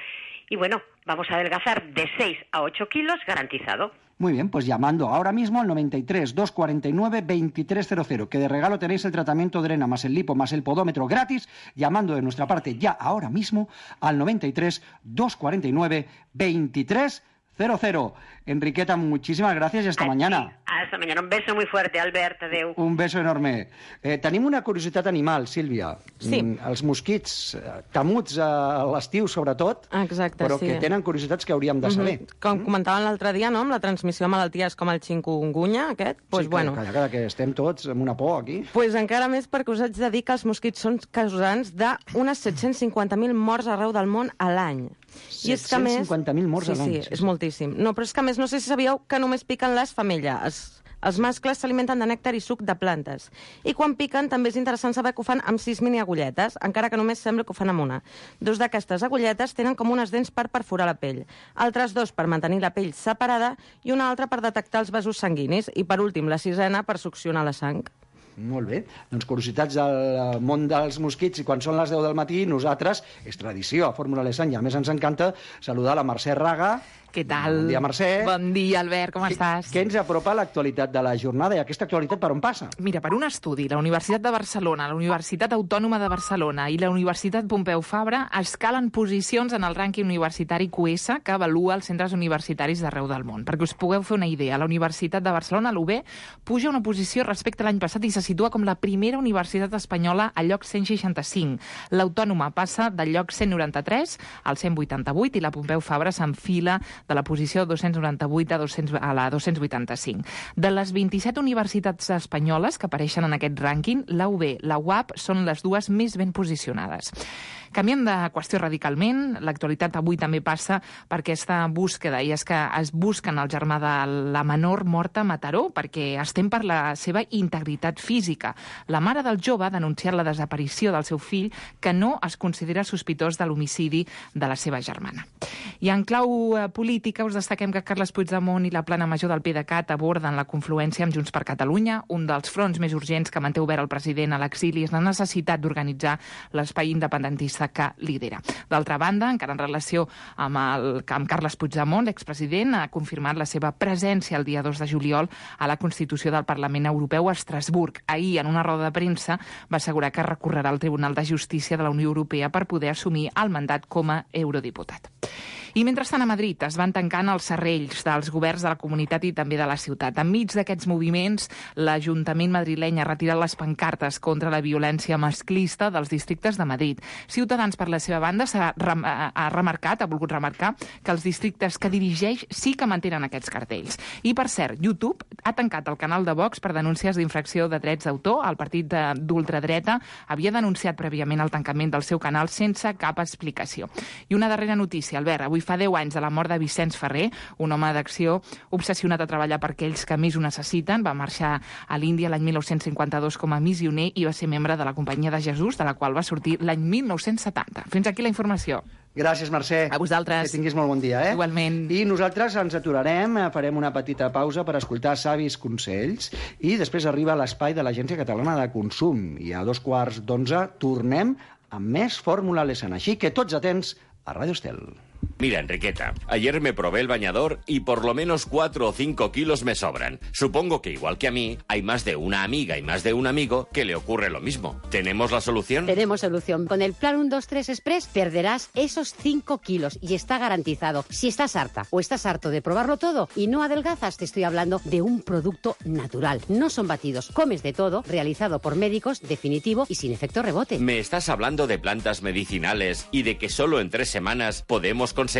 Y bueno, vamos a adelgazar de 6 a 8 kilos garantizado. Muy bien, pues llamando ahora mismo al 93 249 2300, que de regalo tenéis el tratamiento Drena, más el Lipo, más el podómetro gratis, llamando de nuestra parte ya ahora mismo al 93 249 2300. Enriqueta, muchísimas gracias y hasta mañana. Hasta mañana. Un beso muy fuerte, Albert. Adéu. Un beso enorme. Tenim una curiositat animal, Sílvia. Sí. Els mosquits, temuts a l'estiu, sobretot, exacte, però sí. que tenen curiositats que hauríem de saber. Com comentaven l'altre dia, no?, amb la transmissió de malalties com el chikungunya, aquest, pues, sí, bueno... Calla, que estem tots amb una por aquí. Pues encara més perquè us haig de dir que els mosquits són causants d'unes 750.000 morts arreu del món a l'any. 750.000 morts a l'any. Sí, és moltíssim. No, però és que a més no sé si sabíeu que només piquen les femelles Els mascles s'alimenten de nèctar i suc de plantes. I quan piquen també és interessant saber que ho fan amb 6 mini-agulletes, encara que només sembla que ho fan amb una. 2 d'aquestes agulletes tenen com unes dents per perforar la pell, altres 2 per mantenir la pell separada i una altra per detectar els vasos sanguinis i, per últim, la 6ena per succionar la sang. Molt bé. Doncs curiositats del món dels mosquits, i quan són les 10 del matí, nosaltres, és tradició a Fórmula Lesanya, a més ens encanta saludar la Mercè Raga. Què tal? Bon dia, Mercè. Bon dia, Albert, com estàs? Què ens apropa l'actualitat de la jornada i aquesta actualitat per on passa? Mira, per un estudi, la Universitat de Barcelona, la Universitat Autònoma de Barcelona i la Universitat Pompeu Fabra escalen posicions en el rànquing universitari QS que avalua els centres universitaris d'arreu del món. Perquè us pugueu fer una idea, la Universitat de Barcelona, l'UB, puja una posició respecte a l'any passat i se situa com la primera universitat espanyola al lloc 165. L'Autònoma passa del lloc 193 al 188 i la Pompeu Fabra s'enfila de la posició 298 a la 285. De les 27 universitats espanyoles que apareixen en aquest rànquing, la UB, la UAP són les dues més ben posicionades. Canviem de qüestió radicalment. L'actualitat avui també passa per aquesta búsqueda, i és que es busquen el germà de la menor morta a Mataró perquè es tem per la seva integritat física. La mare del jove ha denunciat la desaparició del seu fill, que no es considera sospitós de l'homicidi de la seva germana. I en clau política us destaquem que Carles Puigdemont i la plana major del PDeCAT aborden la confluència amb Junts per Catalunya. Un dels fronts més urgents que manté obert el president a l'exili és la necessitat d'organitzar l'espai independentista que lidera. D'altra banda, encara en relació amb Carles Puigdemont, l'expresident ha confirmat la seva presència el dia 2 de juliol a la Constitució del Parlament Europeu a Estrasburg. Ahir, en una roda de premsa, va assegurar que recorrerà al Tribunal de Justícia de la Unió Europea per poder assumir el mandat com a eurodiputat. I mentrestant a Madrid es van tancant els serrells dels governs de la comunitat i també de la ciutat. Enmig d'aquests moviments, l'Ajuntament madrileny ha retirat les pancartes contra la violència masclista dels districtes de Madrid. Ciutadans, per la seva banda, ha volgut remarcar que els districtes que dirigeix sí que mantenen aquests cartells. I, per cert, YouTube ha tancat el canal de Vox per denúncies d'infracció de drets d'autor. El partit d'ultradreta havia denunciat prèviament el tancament del seu canal sense cap explicació. I una darrera notícia, Albert. Avui fa 10 anys de la mort de Vicenç Ferrer, un home d'acció obsessionat a treballar per aquells que més ho necessiten. Va marxar a l'Índia l'any 1952 com a missioner i va ser membre de la Companyia de Jesús, de la qual va sortir l'any 1970. Fins aquí la informació. Gràcies, Mercè. A vosaltres. Que tinguis molt bon dia, eh? Igualment. I nosaltres ens aturarem, farem una petita pausa per escoltar savis consells i després arriba l'espai de l'Agència Catalana de Consum. I a 11:15 tornem amb més Fórmula Lesana. Així que tots atents a Radio Estel. Mira, Enriqueta, ayer me probé el bañador y por lo menos 4 o 5 kilos me sobran. Supongo que igual que a mí, hay más de una amiga y más de un amigo que le ocurre lo mismo. ¿Tenemos la solución? Tenemos solución. Con el Plan 123 Express perderás esos 5 kilos y está garantizado. Si estás harta o estás harto de probarlo todo y no adelgazas, te estoy hablando de un producto natural. No son batidos, comes de todo, realizado por médicos, definitivo y sin efecto rebote. ¿Me estás hablando de plantas medicinales y de que solo en 3 semanas podemos conseguirlo?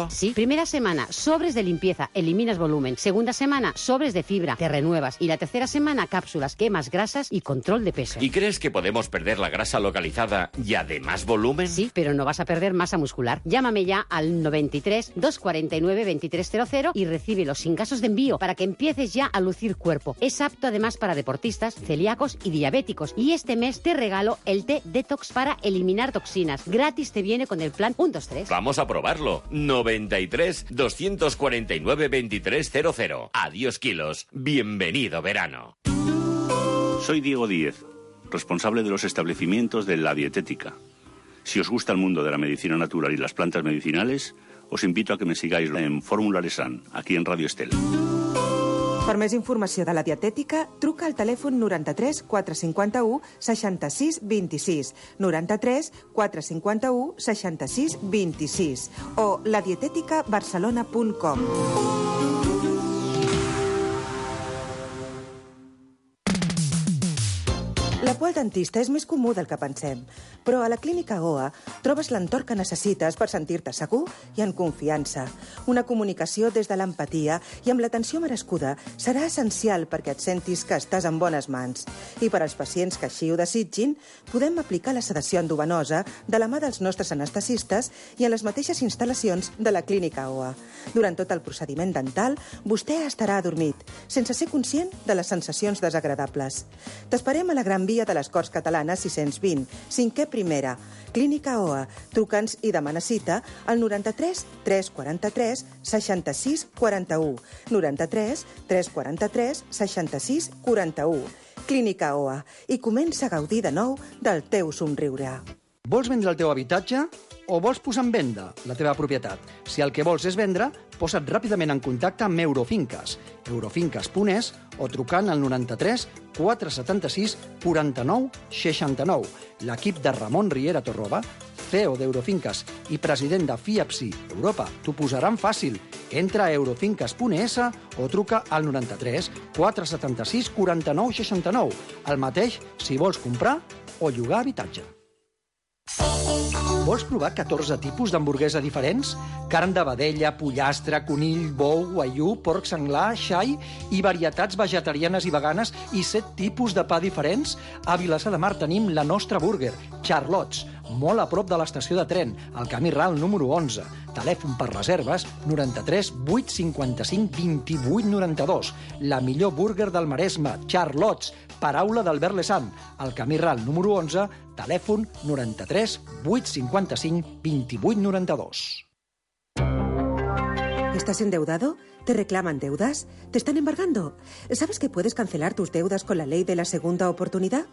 Sí. Primera semana, sobres de limpieza, eliminas volumen. Segunda semana, sobres de fibra, te renuevas. Y la tercera semana, cápsulas, quemas grasas y control de peso. ¿Y crees que podemos perder la grasa localizada y además volumen? Sí, pero no vas a perder masa muscular. Llámame ya al 93 249 2300 y recíbelo sin gastos de envío para que empieces ya a lucir cuerpo. Es apto además para deportistas, celíacos y diabéticos. Y este mes te regalo el té Detox para eliminar toxinas. Gratis te viene con el plan 123. Vamos a probarlo. 93 249 2300. Adiós kilos. Bienvenido verano. Soy Diego Díez, responsable de los establecimientos de La Dietética. Si os gusta el mundo de la medicina natural y las plantas medicinales, os invito a que me sigáis en Fórmula Lesan, aquí en Radio Estel. Per més informació de la dietètica, truca al telèfon 93 451 66 26, 93 451 66 26 o ladieteticabarcelona.com. La qual dentista és més comú del que pensem. Però a la Clínica OA trobes l'entorn que necessites per sentir-te segur i en confiança. Una comunicació des de l'empatia i amb l'atenció merescuda serà essencial perquè et sentis que estàs en bones mans. I per als pacients que així ho desitgin, podem aplicar la sedació endovenosa de la mà dels nostres anestesistes i en les mateixes instal·lacions de la Clínica OA. Durant tot el procediment dental, vostè estarà adormit, sense ser conscient de les sensacions desagradables. T'esperem a la Gran Via de les Corts Catalanes 620, 5è primera. Clínica OA. Truca'ns i demana cita al 93 343 66 41. 93 343 66 41. Clínica OA. I comença a gaudir de nou del teu somriure. Vols vendre el teu habitatge o vols posar en venda la teva propietat? Si el que vols és vendre, posa't ràpidament en contacte amb Eurofinques, eurofinques.es o trucant al 93 476 49 69. L'equip de Ramon Riera Torroba, CEO d'Eurofinques i president de FIAPSI Europa, t'ho posaran fàcil. Entra a eurofinques.es o truca al 93 476 49 69. El mateix si vols comprar o llogar habitatge. Vols provar 14 tipus d'hamburguesa diferents? Carn de vedella, pollastre, conill, bou, guaiú, porc senglar, xai i varietats vegetarianes i veganes i 7 tipus de pa diferents? A Vilassar de Mar tenim la nostra burger, Charlots, molt a prop de l'estació de tren, al camí ral número 11. Telèfon per reserves 93 855 28 92. La millor burger del Maresme, Charlots, paraula d'Albert Lesant, al camí ral número 11, telèfon 93 855 28 92. ¿Estás endeudado? ¿Te reclaman deudas? ¿Te están embargando? ¿Sabes que puedes cancelar tus deudas con la ley de la segunda oportunidad?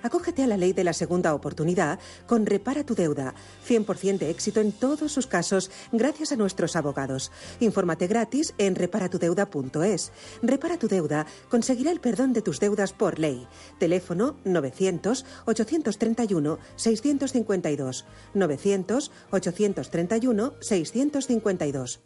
Acógete a la ley de la segunda oportunidad con Repara tu Deuda. 100% de éxito en todos sus casos gracias a nuestros abogados. Infórmate gratis en reparatudeuda.es. Repara tu Deuda conseguirá el perdón de tus deudas por ley. Teléfono 900-831-652. 900-831-652.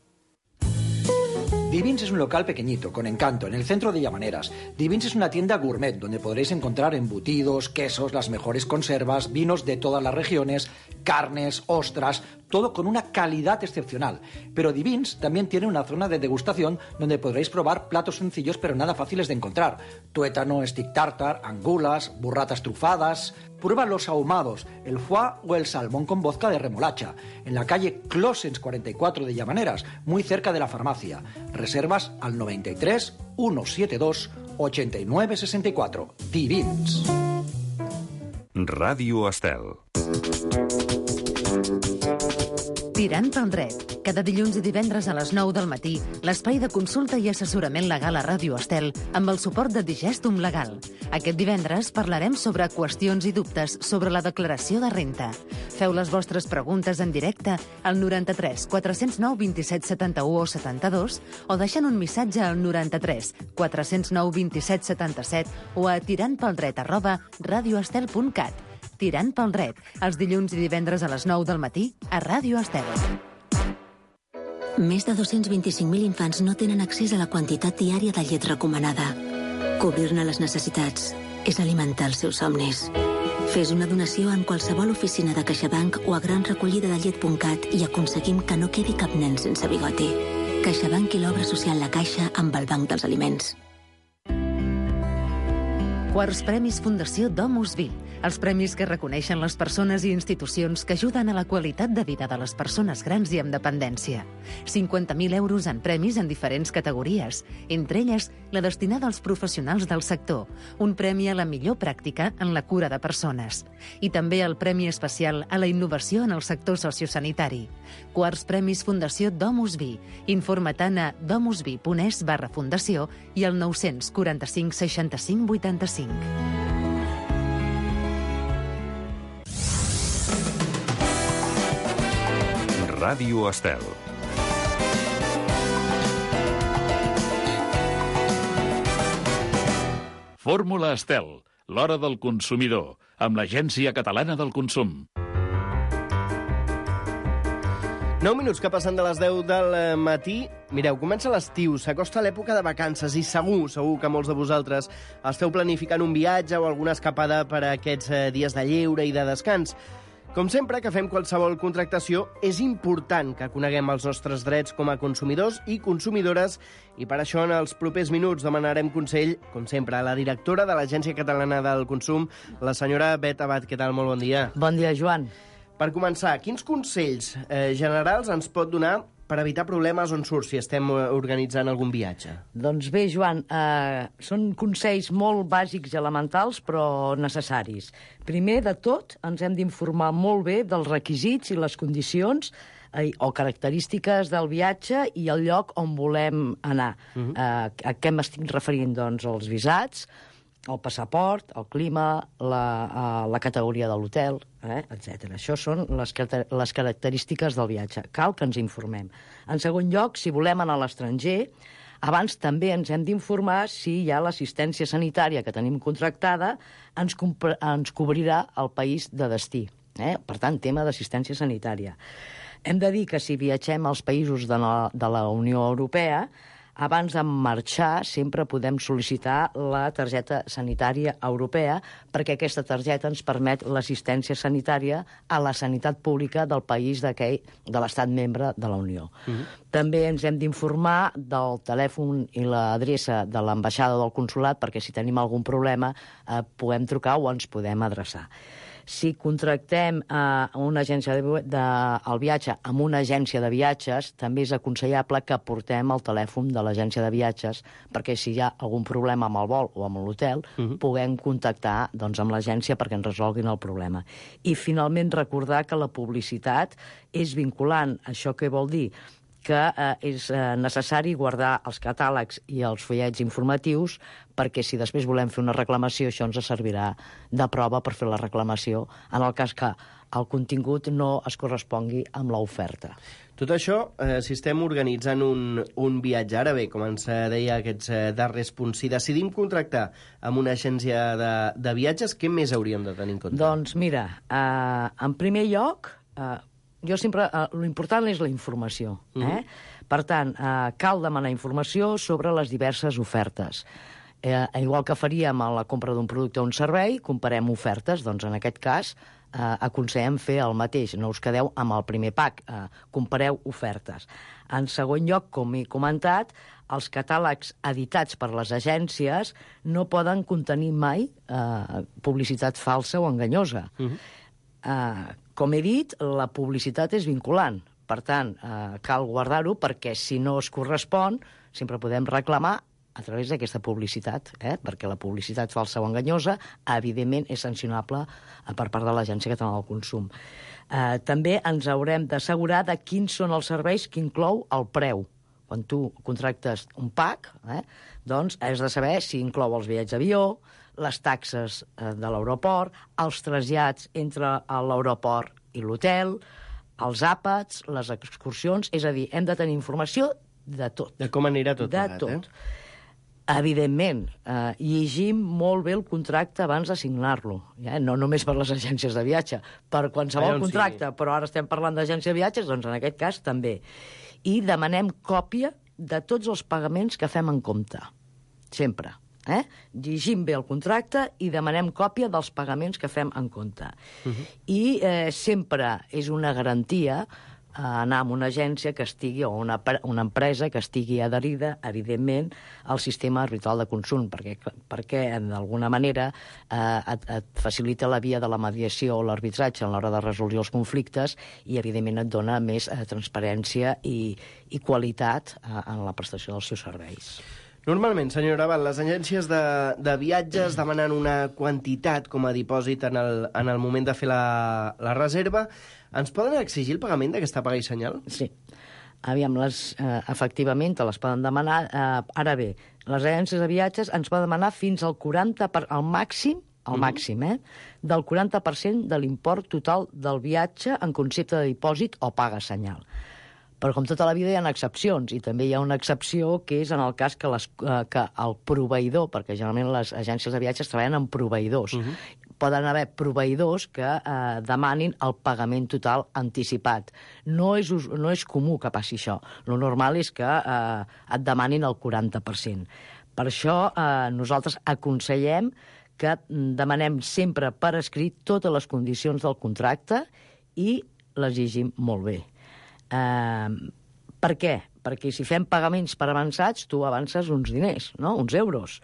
Divins es un local pequeñito, con encanto, en el centro de Llamaneras. Divins es una tienda gourmet donde podréis encontrar embutidos, quesos, las mejores conservas, vinos de todas las regiones, carnes, ostras, todo con una calidad excepcional. Pero Divins también tiene una zona de degustación donde podréis probar platos sencillos pero nada fáciles de encontrar. Tuétano, stick tartar, angulas, burratas trufadas. Prueba los ahumados, el foie o el salmón con vodka de remolacha. En la calle Closens 44 de Llamaneras, muy cerca de la farmacia. Reservas al 93 172 89 64. Divins. Ràdio Estel. Tirant pel dret. Cada dilluns i divendres a les 9 del matí, l'espai de consulta i assessorament legal a Ràdio Estel amb el suport de Digestum Legal. Aquest divendres parlarem sobre qüestions i dubtes sobre la declaració de renta. Feu les vostres preguntes en directe al 93 409 27 71 o 72 o deixant un missatge al 93 409 27 77 o a tirantpeldret@radioestel.cat. Tirant pel dret, els dilluns i divendres a les 9 del matí a Ràdio Estel. Més de 225.000 infants no tenen accés a la quantitat diària de llet recomanada. Cobrir-ne les necessitats és alimentar els seus somnis. Fes una donació en qualsevol oficina de CaixaBank o a granrecollidadellet.cat i aconseguim que no quedi cap nen sense bigoti. CaixaBank i l'obra social La Caixa amb el Banc dels Aliments. Quarts Premis Fundació Domus Vi. Els premis que reconeixen les persones i institucions que ajuden a la qualitat de vida de les persones grans i amb dependència. 50.000 euros en premis en diferents categories, entre elles la destinada als professionals del sector, un premi a la millor pràctica en la cura de persones. I també el premi especial a la innovació en el sector sociosanitari. Quarts Premis Fundació Domus Vi. Informa-te'n a domusvi.es/fundació i al 945 65 85. Ràdio Estel. Fórmula Estel, l'hora del consumidor, amb l'Agència Catalana del Consum. 9 minuts que passen de les 10 del matí. Mireu, comença l'estiu, s'acosta l'època de vacances i segur que molts de vosaltres esteu planificant un viatge o alguna escapada per a aquests dies de lleure i de descans. Com sempre que fem qualsevol contractació, és important que coneguem els nostres drets com a consumidors i consumidores i per això en els propers minuts demanarem consell, com sempre, a la directora de l'Agència Catalana del Consum, la senyora Bet Abad. Què tal? Molt bon dia. Bon dia, Joan. Per començar, quins consells generals ens pot donar per evitar problemes on surt si estem organitzant algun viatge? Doncs bé, Joan, són consells molt bàsics i elementals, però necessaris. Primer de tot, ens hem d'informar molt bé dels requisits i les condicions o característiques del viatge i el lloc on volem anar. A què m'estic referint? Doncs els visats, el passaport, el clima, la categoria de l'hotel, etc. Això són les característiques del viatge. Cal que ens informem. En segon lloc, si volem anar a l'estranger, abans també ens hem d'informar si hi ha l'assistència sanitària que tenim contractada, ens cobrirà el país de destí. Per tant, tema d'assistència sanitària. Hem de dir que si viatgem als països de la Unió Europea, abans de marxar sempre podem sol·licitar la targeta sanitària europea perquè aquesta targeta ens permet l'assistència sanitària a la sanitat pública del país de l'estat membre de la Unió. També ens hem d'informar del telèfon i l'adreça de l'ambaixada o del consolat perquè si tenim algun problema podem trucar o ens podem adreçar. Si contractem una agència el viatge amb una agència de viatges, també és aconsellable que portem el telèfon de l'agència de viatges perquè si hi ha algun problema amb el vol o amb l'hotel, puguem contactar amb l'agència perquè ens resolguin el problema. I finalment recordar que la publicitat és vinculant. Això què vol dir? Que és necessari guardar els catàlegs i els fullets informatius perquè si després volem fer una reclamació això ens servirà de prova per fer la reclamació en el cas que el contingut no es correspongui amb l'oferta. Tot això, si estem organitzant un viatge, ara bé, com ens deia aquests darrers punts, si decidim contractar amb una agència de viatges, què més hauríem de tenir en compte? Doncs mira, en primer lloc, jo sempre, l'important és la informació. Per tant, cal demanar informació sobre les diverses ofertes. Igual que faríem a la compra d'un producte o un servei, comparem ofertes, doncs en aquest cas aconsellem fer el mateix, no us quedeu amb el primer pack, compareu ofertes. En segon lloc, com he comentat, els catàlegs editats per les agències no poden contenir mai publicitat falsa o enganyosa. Com he dit, la publicitat és vinculant. Per tant, cal guardar-ho perquè si no es correspon, sempre podem reclamar a través d'aquesta publicitat, perquè la publicitat falsa o enganyosa, evidentment, és sancionable per part de l'Agència Catalana del Consum. També ens haurem d'assegurar de quins són els serveis que inclou el preu. Quan tu contractes un pack, doncs has de saber si inclou els bitllets d'avió, les taxes de l'aeroport, els trasllats entre l'aeroport i l'hotel, els àpats, les excursions, és a dir, hem de tenir informació de tot. De com anirà tot plegat, tot. Evidentment, llegim molt bé el contracte abans de signar-lo, no només per les agències de viatge, per qualsevol contracte, però ara estem parlant d'agència de viatges, doncs en aquest cas també. I demanem còpia de tots els pagaments que fem en compte, sempre. Llegim bé el contracte i demanem còpia dels pagaments que fem en compte. I sempre és una garantia anar a una agència que estigui, o una empresa que estigui adherida, evidentment, al sistema arbitral de consum, perquè d'alguna manera et facilita la via de la mediació o l'arbitratge a l'hora de resoldre els conflictes i, evidentment, et dona més transparència i qualitat en la prestació dels seus serveis. Normalment, senyora Abad, les agències de viatges demanen una quantitat com a dipòsit en el moment de fer la reserva. Ens poden exigir el pagament d'aquesta paga i senyal? Sí. Aviam, efectivament, te les poden demanar. Ara bé, les agències de viatges ens poden demanar fins al 40%, al màxim, del 40% de l'import total del viatge en concepte de dipòsit o paga senyal. Però com tota la vida hi ha excepcions, i també hi ha una excepció que és en el cas que el proveïdor, perquè generalment les agències de viatges treballen amb proveïdors, poden haver proveïdors que demanin el pagament total anticipat. No és comú que passi això. Lo normal és que et demanin el 40%. Per això nosaltres aconsellem que demanem sempre per escrit totes les condicions del contracte i les llegim molt bé. Per què? Perquè si fem pagaments per avançats, tu avances uns diners, no? Uns euros.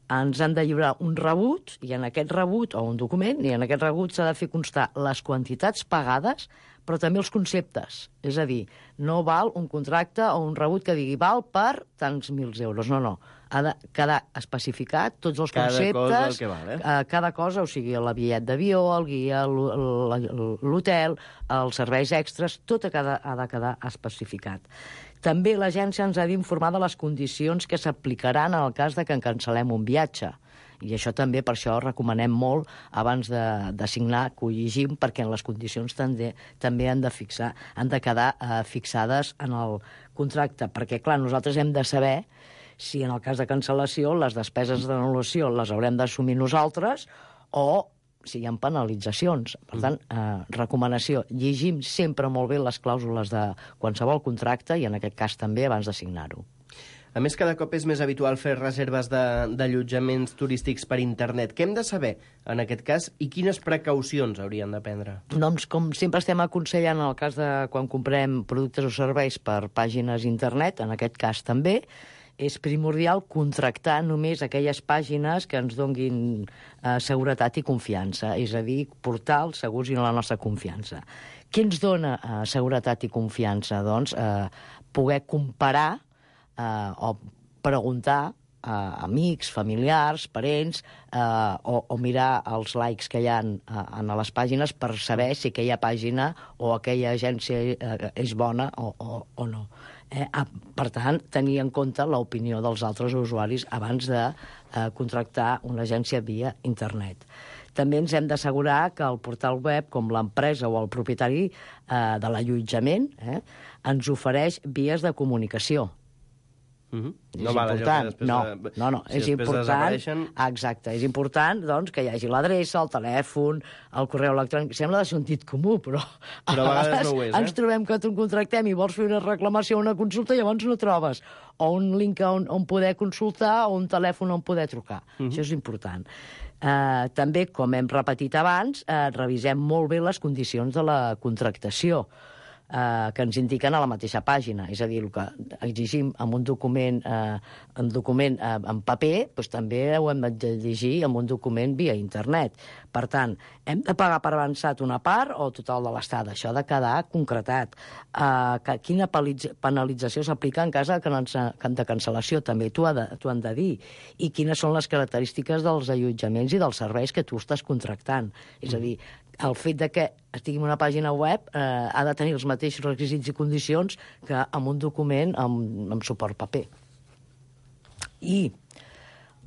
Ens han de lliurar un rebut, i en aquest rebut, o un document, i en aquest rebut s'ha de fer constar les quantitats pagades, però també els conceptes. És a dir, no val un contracte o un rebut que digui val per tants mils euros. No. Ha de quedar especificat tots els conceptes. Cada cosa el que val, cada cosa, o sigui, el bitllet d'avió, el guia, l'hotel, els serveis extras, tot ha de quedar especificat. També l'agència ens ha d'informar de les condicions que s'aplicaran en el cas de que cancel·lem un viatge. I això també, per això, recomanem molt abans de signar, que ho llegim, perquè en les condicions també han de quedar fixades en el contracte. Perquè, clar, nosaltres hem de saber si en el cas de cancel·lació les despeses d'anul·lació les haurem d'assumir nosaltres o si hi ha penalitzacions. Per tant, recomanació, llegim sempre molt bé les clàusules de qualsevol contracte i en aquest cas també abans de signar-ho. A més, cada cop és més habitual fer reserves d'allotjaments turístics per internet. Què hem de saber en aquest cas i quines precaucions haurien de prendre? Doncs, com sempre estem aconsellant en el cas de quan comprem productes o serveis per pàgines internet, en aquest cas també, és primordial contractar només aquelles pàgines que ens donguin seguretat i confiança, és a dir, portals segurs i en la nostra confiança. Què ens dona seguretat i confiança? Doncs poder comparar o preguntar a amics, familiars, parents, o mirar els likes que hi ha en les pàgines per saber si aquella pàgina o aquella agència és bona o no. Per tant, tenir en compte l'opinió dels altres usuaris abans de contractar una agència via internet. També ens hem d'assegurar que el portal web, com l'empresa o el propietari de l'allotjament, ens ofereix vies de comunicació. És important. No, és important. Exacte, és important doncs, que hi hagi l'adreça, el telèfon, el correu electrònic. Sembla de sentit comú, però a vegades no ho és, ens trobem que tu contractem i vols fer una reclamació o una consulta i llavors no trobes o un link on poder consultar o un telèfon on poder trucar. Això és important. També, com hem repetit abans, revisem molt bé les condicions de la contractació que ens indiquen a la mateixa pàgina. És a dir, el que exigim en un document en paper, doncs també ho hem de llegir en un document via internet. Per tant, hem de pagar per avançat una part o total de l'estada. Això ha de quedar concretat. Quina penalització s'aplica en cas de cancel·lació? També t'ho han de dir. I quines són les característiques dels allotjaments i dels serveis que tu estàs contractant. És a dir, el fet de que estigui en una pàgina web ha de tenir els mateixos requisits i condicions que en un document amb suport paper. I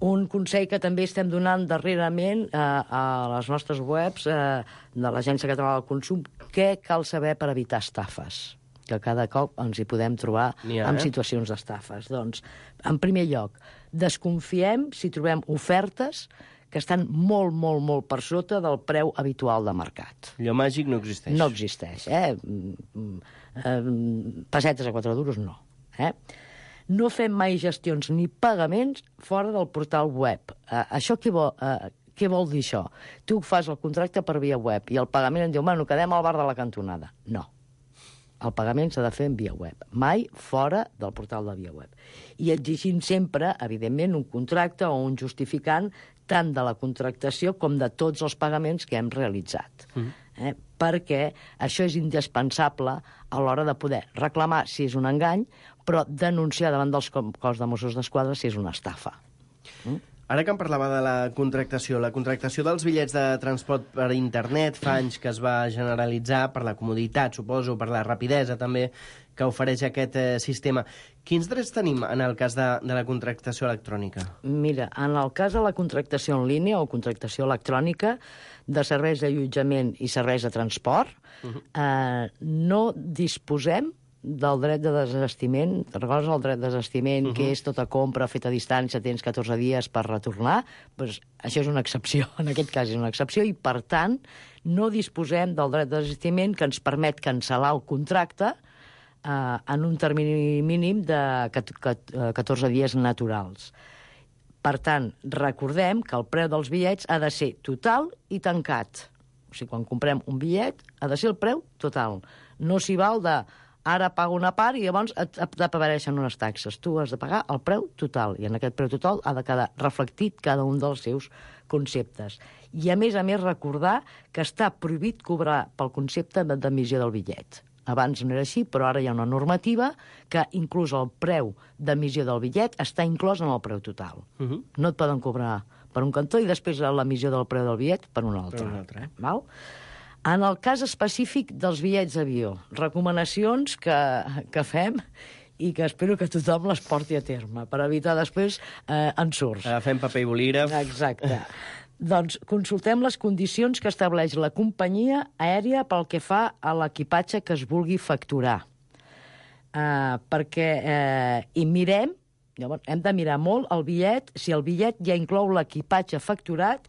un consell que també estem donant darrerament a les nostres webs de l'Agència Catalana del Consum, què cal saber per evitar estafes? Que cada cop ens hi podem trobar en situacions d'estafes. Doncs, en primer lloc, desconfiem si trobem ofertes que estan molt, molt, molt per sota del preu habitual de mercat. Allò màgic no existeix. No existeix, pessetes a 4 duros, no. No fem mai gestions ni pagaments fora del portal web. Això què vol dir això? Tu fas el contracte per via web i el pagament em diu, bueno, quedem al bar de la cantonada. No. El pagament s'ha de fer en via web, mai fora del portal de via web. I exigim sempre, evidentment, un contracte o un justificant tant de la contractació com de tots els pagaments que hem realitzat. Perquè això és indispensable a l'hora de poder reclamar si és un engany, però denunciar davant dels cos de Mossos d'Esquadra si és una estafa. Ara que em parlava de la contractació dels bitllets de transport per internet fa anys que es va generalitzar per la comoditat, suposo, per la rapidesa també que ofereix aquest sistema. Quins drets tenim en el cas de la contractació electrònica? Mira, en el cas de la contractació en línia o contractació electrònica de serveis d'allotjament i serveis de transport, no disposem del dret de desestiment. Te'n recordes el dret de desestiment, que és tota compra feta a distància, tens 14 dies per retornar? Doncs això és una excepció, en aquest cas és una excepció, i per tant no disposem del dret de desestiment que ens permet cancel·lar el contracte en un termini mínim de 14 dies naturals. Per tant, recordem que el preu dels bitllets ha de ser total i tancat. O sigui, quan comprem un bitllet, ha de ser el preu total. No s'hi val de ara pago una part i llavors t'apareixen unes taxes. Tu has de pagar el preu total, i en aquest preu total ha de quedar reflectit cada un dels seus conceptes. I a més recordar que està prohibit cobrar pel concepte d'emissió del bitllet. Abans no era així, però ara hi ha una normativa que inclús el preu d'emissió del bitllet està inclòs en el preu total. No et poden cobrar per un cantó i després l'emissió del preu del bitllet per un altre. Val? En el cas específic dels bitllets d'avió, recomanacions que fem i que espero que tothom les porti a terme, per evitar després ensurts. Agafem paper i bolígraf. Exacte. Doncs consultem les condicions que estableix la companyia aèria pel que fa a l'equipatge que es vulgui facturar. I mirem, llavors hem de mirar molt el bitllet, si el bitllet ja inclou l'equipatge facturat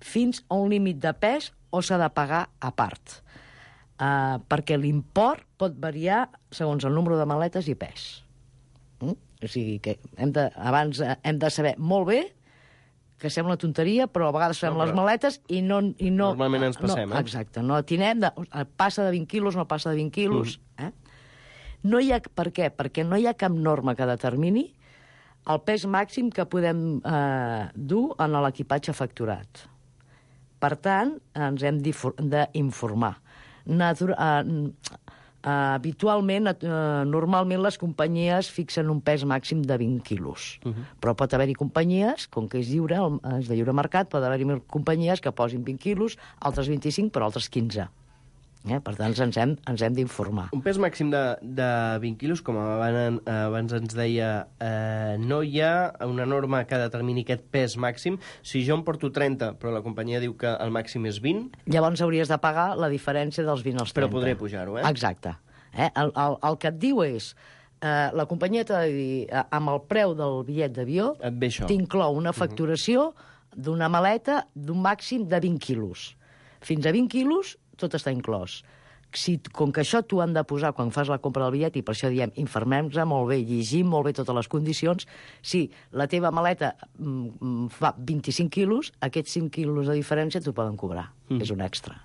fins a un límit de pes o s'ha de pagar a part. Perquè l'import pot variar segons el número de maletes i pes. O sigui que abans hem de saber molt bé, que sembla una tonteria, però a vegades fem les maletes i no... Normalment ens passem, Exacte, no atinem, passa de 20 quilos, no passa de 20 quilos. No hi ha, per què? Perquè no hi ha cap norma que determini el pes màxim que podem dur en l'equipatge facturat. Per tant, ens hem d'informar. Habitualment, normalment les companyies fixen un pes màxim de 20 quilos. Però pot haver-hi companyies, com que és lliure, és de lliure mercat, pot haver-hi companyies que posin 20 quilos, altres 25, però altres 15. Per tant, ens hem d'informar. Un pes màxim de 20 quilos, com abans ens deia, no hi ha una norma que determini aquest pes màxim. Si jo em porto 30, però la companyia diu que el màxim és 20... Llavors hauries de pagar la diferència dels 20 als 30. Però podré pujar-ho, Exacte. El que et diu és... La companyia t'ha de dir, amb el preu del bitllet d'avió, t'inclou una facturació d'una maleta d'un màxim de 20 quilos. Fins a 20 quilos tot està inclòs. Com que això t'ho han de posar quan fas la compra del bitllet, i per això diem, informem-nos molt bé, llegim molt bé totes les condicions, si la teva maleta fa 25 quilos, aquests 5 quilos de diferència t'ho poden cobrar. És un extra.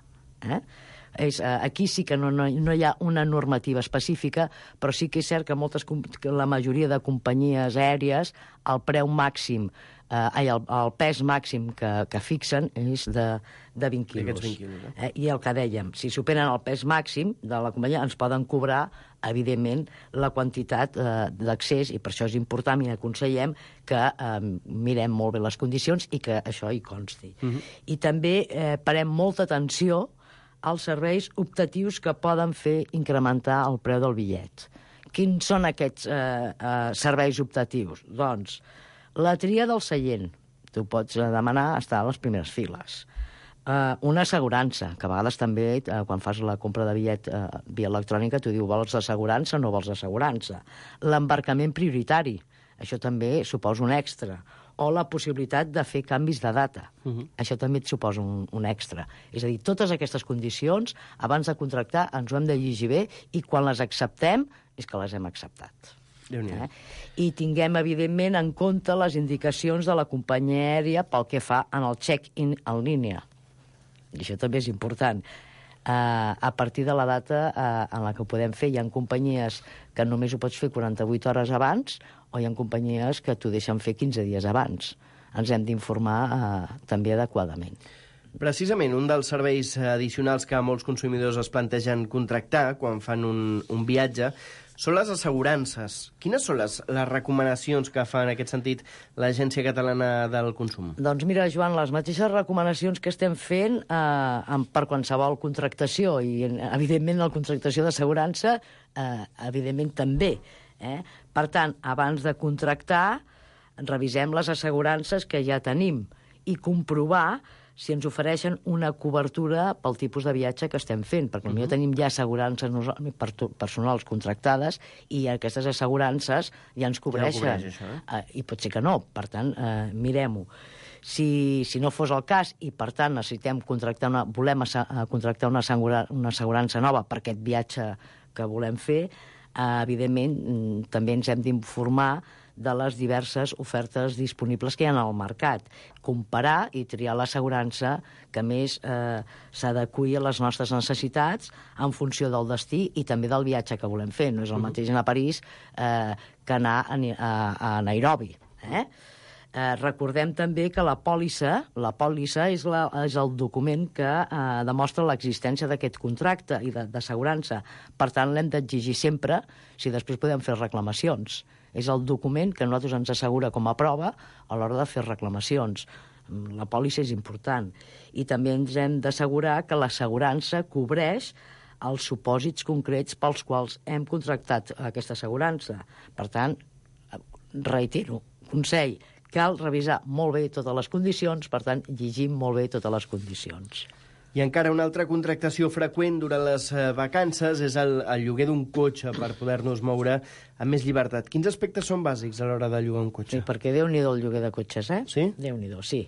Aquí sí que no hi ha una normativa específica, però sí que és cert que la majoria de companyies aèries el preu màxim, el pes màxim que fixen és de 20 quilos. I el que dèiem, si superen el pes màxim de la companyia, ens poden cobrar, evidentment, la quantitat d'accés, i per això és important i aconsellem que mirem molt bé les condicions i que això hi consti. I també parem molta atenció als serveis optatius que poden fer incrementar el preu del bitllet. Quins són aquests serveis optatius? Doncs la tria del seient. Tu pots demanar estar a les primeres files. Una assegurança, que a vegades també, quan fas la compra de bitllet via electrònica, t'ho diu, vols assegurança o no vols assegurança. L'embarcament prioritari, això també suposa un extra. O la possibilitat de fer canvis de data. Això també et suposa un extra. És a dir, totes aquestes condicions, abans de contractar, ens ho hem de llegir bé, i quan les acceptem, és que les hem acceptat. I tinguem, evidentment, en compte les indicacions de la companyia aèria pel que fa en el check-in en línia. I això també és important. A partir de la data en la que ho podem fer, hi ha companyies que només ho pots fer 48 hores abans, o hi ha companyies que t'ho deixen fer 15 dies abans. Ens hem d'informar també adequadament. Precisament, un dels serveis addicionals que molts consumidors es plantegen contractar quan fan un viatge són les assegurances. Quines són les recomanacions que fa en aquest sentit l'Agència Catalana del Consum? Doncs mira, Joan, les mateixes recomanacions que estem fent per qualsevol contractació, i evidentment la contractació d'assegurança, evidentment també. Per tant, abans de contractar, revisem les assegurances que ja tenim i comprovar si ens ofereixen una cobertura pel tipus de viatge que estem fent, perquè potser tenim ja assegurances personals contractades i aquestes assegurances ja ens cobreixen. I pot ser que no, per tant, mirem-ho. Si no fos el cas i, per tant, necessitem volem contractar una assegurança nova per aquest viatge que volem fer, evidentment, també ens hem d'informar de les diverses ofertes disponibles que hi ha al mercat. Comparar i triar l'assegurança que més s'adeqüi a les nostres necessitats en funció del destí i també del viatge que volem fer. No és el mateix anar a París que anar a Nairobi. Recordem també que la pòlissa és el document que demostra l'existència d'aquest contracte i d'assegurança. Per tant, l'hem d'exigir sempre si després podem fer reclamacions. És el document que a nosaltres ens assegura com a prova a l'hora de fer reclamacions. La pòlissa és important. I també ens hem d'assegurar que l'assegurança cobreix els supòsits concrets pels quals hem contractat aquesta assegurança. Per tant, reitero, consell, cal revisar molt bé totes les condicions, per tant, llegim molt bé totes les condicions. I encara una altra contractació freqüent durant les vacances és el lloguer d'un cotxe per poder-nos moure amb més llibertat. Quins aspectes són bàsics a l'hora de llogar un cotxe? Sí, perquè Déu-n'hi-do el lloguer de cotxes, Sí? Déu-n'hi-do, sí.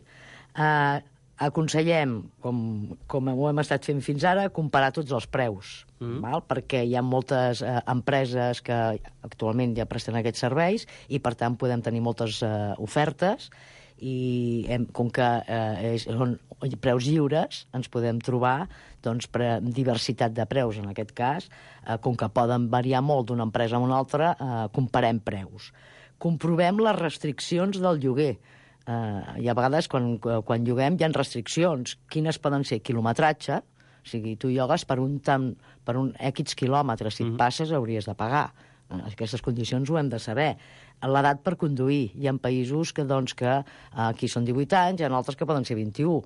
Aconsellem, com ho hem estat fent fins ara, comparar tots els preus, perquè hi ha moltes empreses que actualment ja presten aquests serveis i, per tant, podem tenir moltes ofertes i com que són preus lliures, ens podem trobar per diversitat de preus. En aquest cas, com que poden variar molt d'una empresa a una altra, comparem preus. Comprovem les restriccions del lloguer. I a vegades, quan lloguem, hi ha restriccions. Quines poden ser? Quilometratge, o sigui, tu llogues per un X quilòmetres. Si et passes, hauries de pagar. Aquestes condicions ho hem de saber. L'edat per conduir. Hi ha països que aquí són 18 anys, hi ha altres que poden ser 21.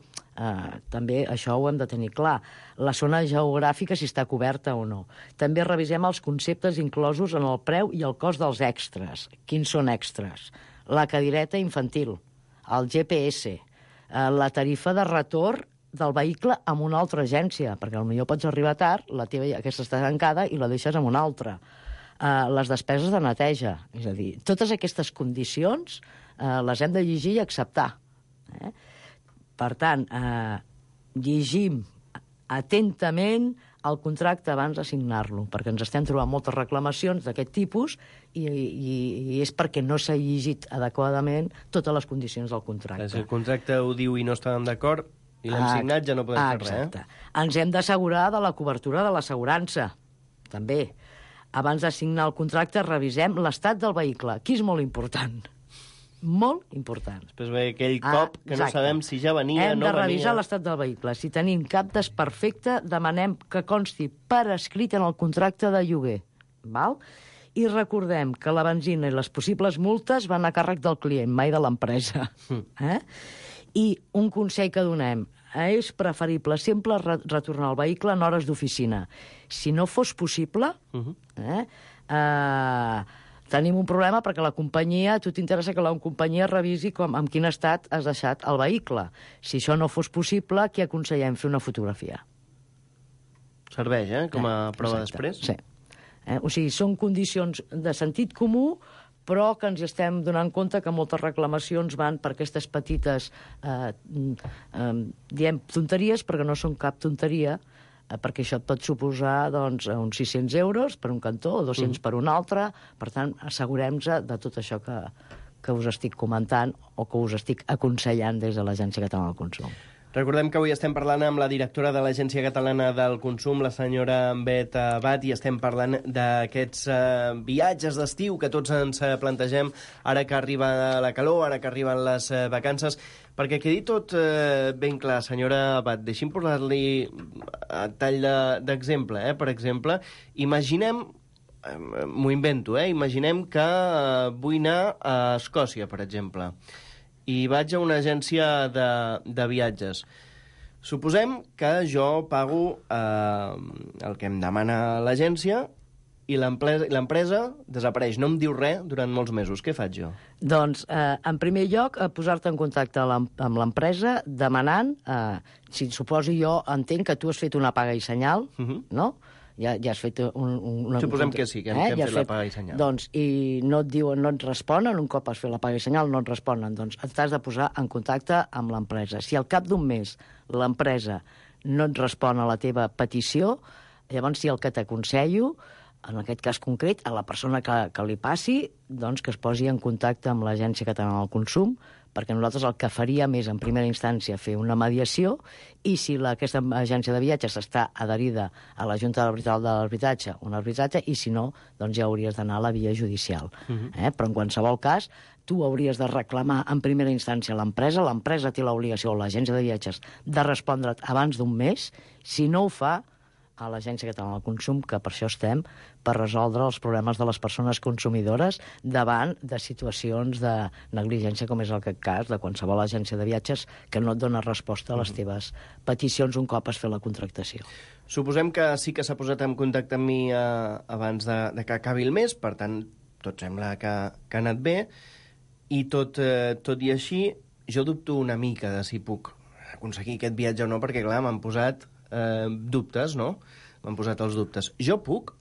També això ho hem de tenir clar. La zona geogràfica, si està coberta o no. També revisem els conceptes inclosos en el preu i el cost dels extras. Quins són extras? La cadireta infantil, el GPS, la tarifa de retorn del vehicle amb una altra agència, perquè potser pots arribar tard, la teva aquesta està tancada i la deixes amb una altra. Les despeses de neteja, és a dir, totes aquestes condicions les hem de llegir i acceptar. Per tant, llegim atentament el contracte abans de signar-lo, perquè ens estem trobant moltes reclamacions d'aquest tipus i és perquè no s'ha llegit adequadament totes les condicions del contracte. Si el contracte ho diu i no estàvem d'acord i l'hem signat, ja no podem fer res. Exacte. Ens hem d'assegurar de la cobertura de l'assegurança, també. Abans de signar el contracte, revisem l'estat del vehicle. Aquí és molt important. Molt important. Després ve aquell cop que no sabem si ja venia o no venia. Hem de revisar l'estat del vehicle. Si tenim cap desperfecte, demanem que consti per escrit en el contracte de lloguer. Val? I recordem que la benzina i les possibles multes van a càrrec del client, mai de l'empresa. I un consell que donem, és preferible sempre retornar el vehicle en hores d'oficina. Si no fos possible, tenim un problema perquè la companyia, a tu t'interessa que la companyia revisi en quin estat has deixat el vehicle. Si això no fos possible, què aconsellem? Fer una fotografia. Serveix, com a prova després? Sí. O sigui, són condicions de sentit comú, però que ens estem donant compte que moltes reclamacions van per aquestes petites, diem tonteries, perquè no són cap tonteria, perquè això et pot suposar uns 600 euros per un cantó o 200 per un altre. Per tant, assegurem-nos de tot això que us estic comentant o que us estic aconsellant des de l'Agència Catalana del Consum. Recordem que avui estem parlant amb la directora de l'Agència Catalana del Consum, la senyora Bet Abad, i estem parlant d'aquests viatges d'estiu que tots ens plantegem ara que arriba la calor, ara que arriben les vacances. Perquè quedi tot ben clar, senyora Abad, deixi'm posar-li a tall d'exemple. Per exemple, imaginem, m'ho invento, imaginem que vull anar a Escòcia, per exemple, i vaig a una agència de viatges. Suposem que jo pago el que em demana l'agència i l'empresa desapareix, no em diu res durant molts mesos. Què faig jo? Doncs, en primer lloc, posar-te en contacte amb l'empresa demanant, si suposi jo entenc que tu has fet una paga i senyal, no? Ja has fet Suposem que sí, que hem fet la paga i senyal. Doncs, i no et diuen, no et responen, un cop has fet la paga i senyal no et responen, doncs t'has de posar en contacte amb l'empresa. Si al cap d'un mes l'empresa no et respon a la teva petició, llavors sí, el que t'aconsello, en aquest cas concret, a la persona que li passi, doncs que es posi en contacte amb l'Agència Catalana del Consum, perquè nosaltres el que faríem és, en primera instància, fer una mediació, i si aquesta agència de viatges està adherida a la Junta de l'Arbitratge, un arbitratge, i si no, doncs ja hauries d'anar a la via judicial. Però en qualsevol cas, tu hauries de reclamar en primera instància a l'empresa té l'obligació, o l'agència de viatges, de respondre't abans d'un mes. Si no ho fa, a l'Agència Catalana del Consum, que per això estem, per resoldre els problemes de les persones consumidores davant de situacions de negligència, com és el cas de qualsevol agència de viatges que no et dona resposta a les teves peticions un cop has fet la contractació. Suposem que sí que s'ha posat en contacte amb mi abans de que acabi el mes, per tant, tot sembla que ha anat bé, i tot i així, jo dubto una mica de si puc aconseguir aquest viatge o no, perquè, clar, m'han posat dubtes, no? M'han posat els dubtes. Jo puc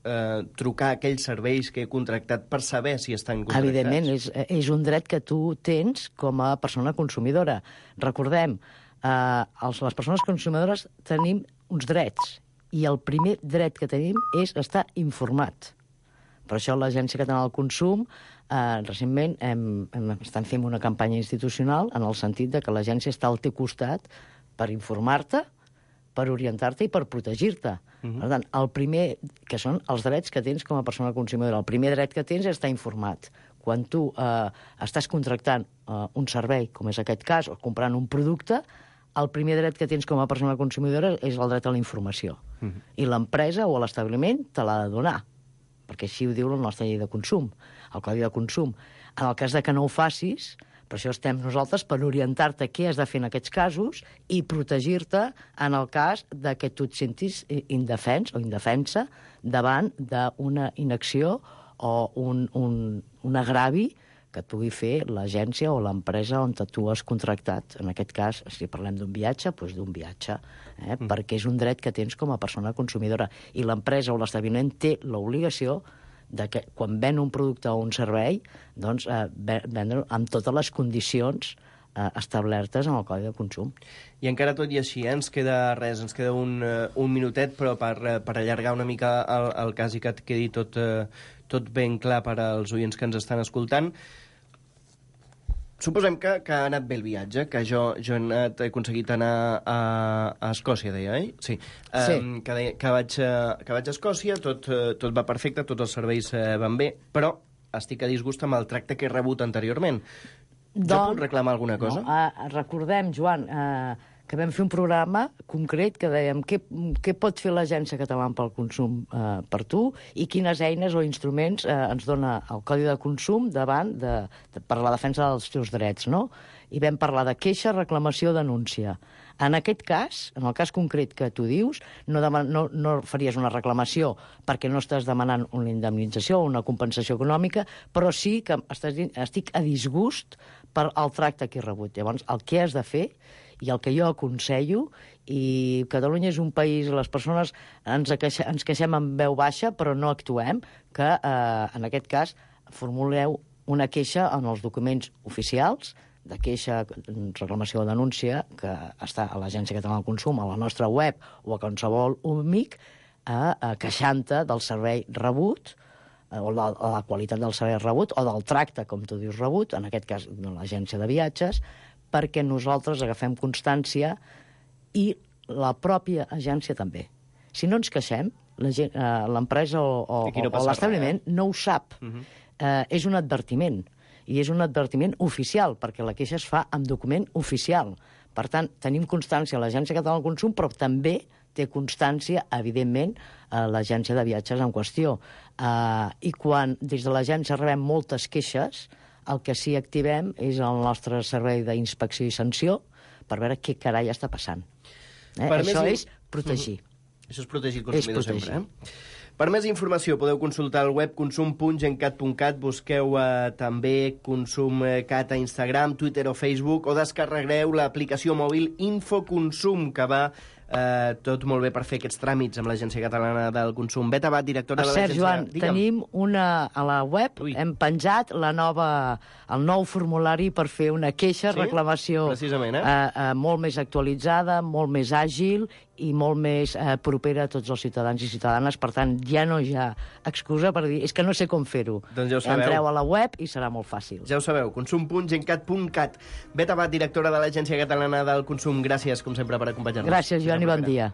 trucar a aquells serveis que he contractat per saber si estan contractats? Evidentment, és un dret que tu tens com a persona consumidora. Recordem, les persones consumidores tenim uns drets, i el primer dret que tenim és estar informat. Per això l'Agència Catalana del Consum recentment estan fent una campanya institucional en el sentit de que l'agència està al teu costat per informar-te, per orientar-te i per protegir-te. Per tant, el primer, que són els drets que tens com a persona consumidora, el primer dret que tens és estar informat. Quan tu estàs contractant un servei, com és aquest cas, o comprant un producte, el primer dret que tens com a persona consumidora és el dret a la informació. I l'empresa o l'establiment te l'ha de donar, perquè així ho diu la nostra llei de consum, el Codi de Consum. En el cas de que no ho facis, per això estem nosaltres, per orientar-te què has de fer en aquests casos i protegir-te en el cas de que tu et sentis indefens o indefensa davant d'una inacció o un agravi que et pugui fer l'agència o l'empresa on tu has contractat. En aquest cas, si parlem d'un viatge, doncs d'un viatge, perquè és un dret que tens com a persona consumidora. I l'empresa o l'establiment té l'obligació de que quan ven un producte o un servei, doncs vendre amb totes les condicions establertes en el Codi de Consum. I encara tot i així, ens queda res, ens queda un minutet, però per allargar una mica el cas i que et quedi tot ben clar per als oients que ens estan escoltant. Suposem que ha anat bé el viatge, que jo he aconseguit anar a Escòcia, deia, oi? Sí. Que vaig a Escòcia, tot va perfecte, tots els serveis van bé, però estic a disgust amb el tracte que he rebut anteriorment. Jo puc reclamar alguna cosa? No, recordem, Joan, que vam fer un programa concret que dèiem què pot fer l'Agència Catalana pel Consum per tu i quines eines o instruments ens dona el Codi de Consum davant per la defensa dels teus drets, no? I vam parlar de queixa, reclamació, denúncia. En aquest cas, en el cas concret que tu dius, no faries una reclamació perquè no estàs demanant una indemnització o una compensació econòmica, però sí que estic a disgust per el tracte que he rebut. Llavors, el que has de fer i el que jo aconsello, i Catalunya és un país, les persones ens queixem amb veu baixa, però no actuem, que en aquest cas formuleu una queixa en els documents oficials, de queixa, reclamació o denúncia, que està a l'Agència Catalana del Consum, a la nostra web o a qualsevol amic, queixant-te del servei rebut, o la qualitat del servei rebut, o del tracte, com tu dius, rebut, en aquest cas de l'agència de viatges, perquè nosaltres agafem constància i la pròpia agència també. Si no ens queixem, l'empresa o l'establiment no ho sap. És un advertiment, i és un advertiment oficial, perquè la queixa es fa amb document oficial. Per tant, tenim constància a l'Agència Catalana del Consum, però també té constància, evidentment, a l'agència de viatges en qüestió. I quan des de l'agència rebem moltes queixes, el que sí activem és el nostre servei d'inspecció i sanció per veure què carai està passant. Això és protegir. Això és protegir el consumidor sempre. Per més informació podeu consultar el web consum.gencat.cat, busqueu també ConsumCat a Instagram, Twitter o Facebook, o descarregueu l'aplicació mòbil Infoconsum, que va tot molt bé per fer aquests tràmits amb l'Agència Catalana del Consum. Bet Abad, directora de l'Agència... Joan, tenim a la web, hem penjat el nou formulari per fer una queixa, reclamació molt més actualitzada, molt més àgil i molt més propera a tots els ciutadans i ciutadanes. Per tant, ja no hi ha excusa per dir és que no sé com fer-ho. Doncs ja ho sabeu. Entreu a la web i serà molt fàcil. Ja ho sabeu, consum.gencat.cat. Bet Abad, directora de l'Agència Catalana del Consum, gràcies, com sempre, per acompanyar-nos. Gràcies, Joan, i bon dia.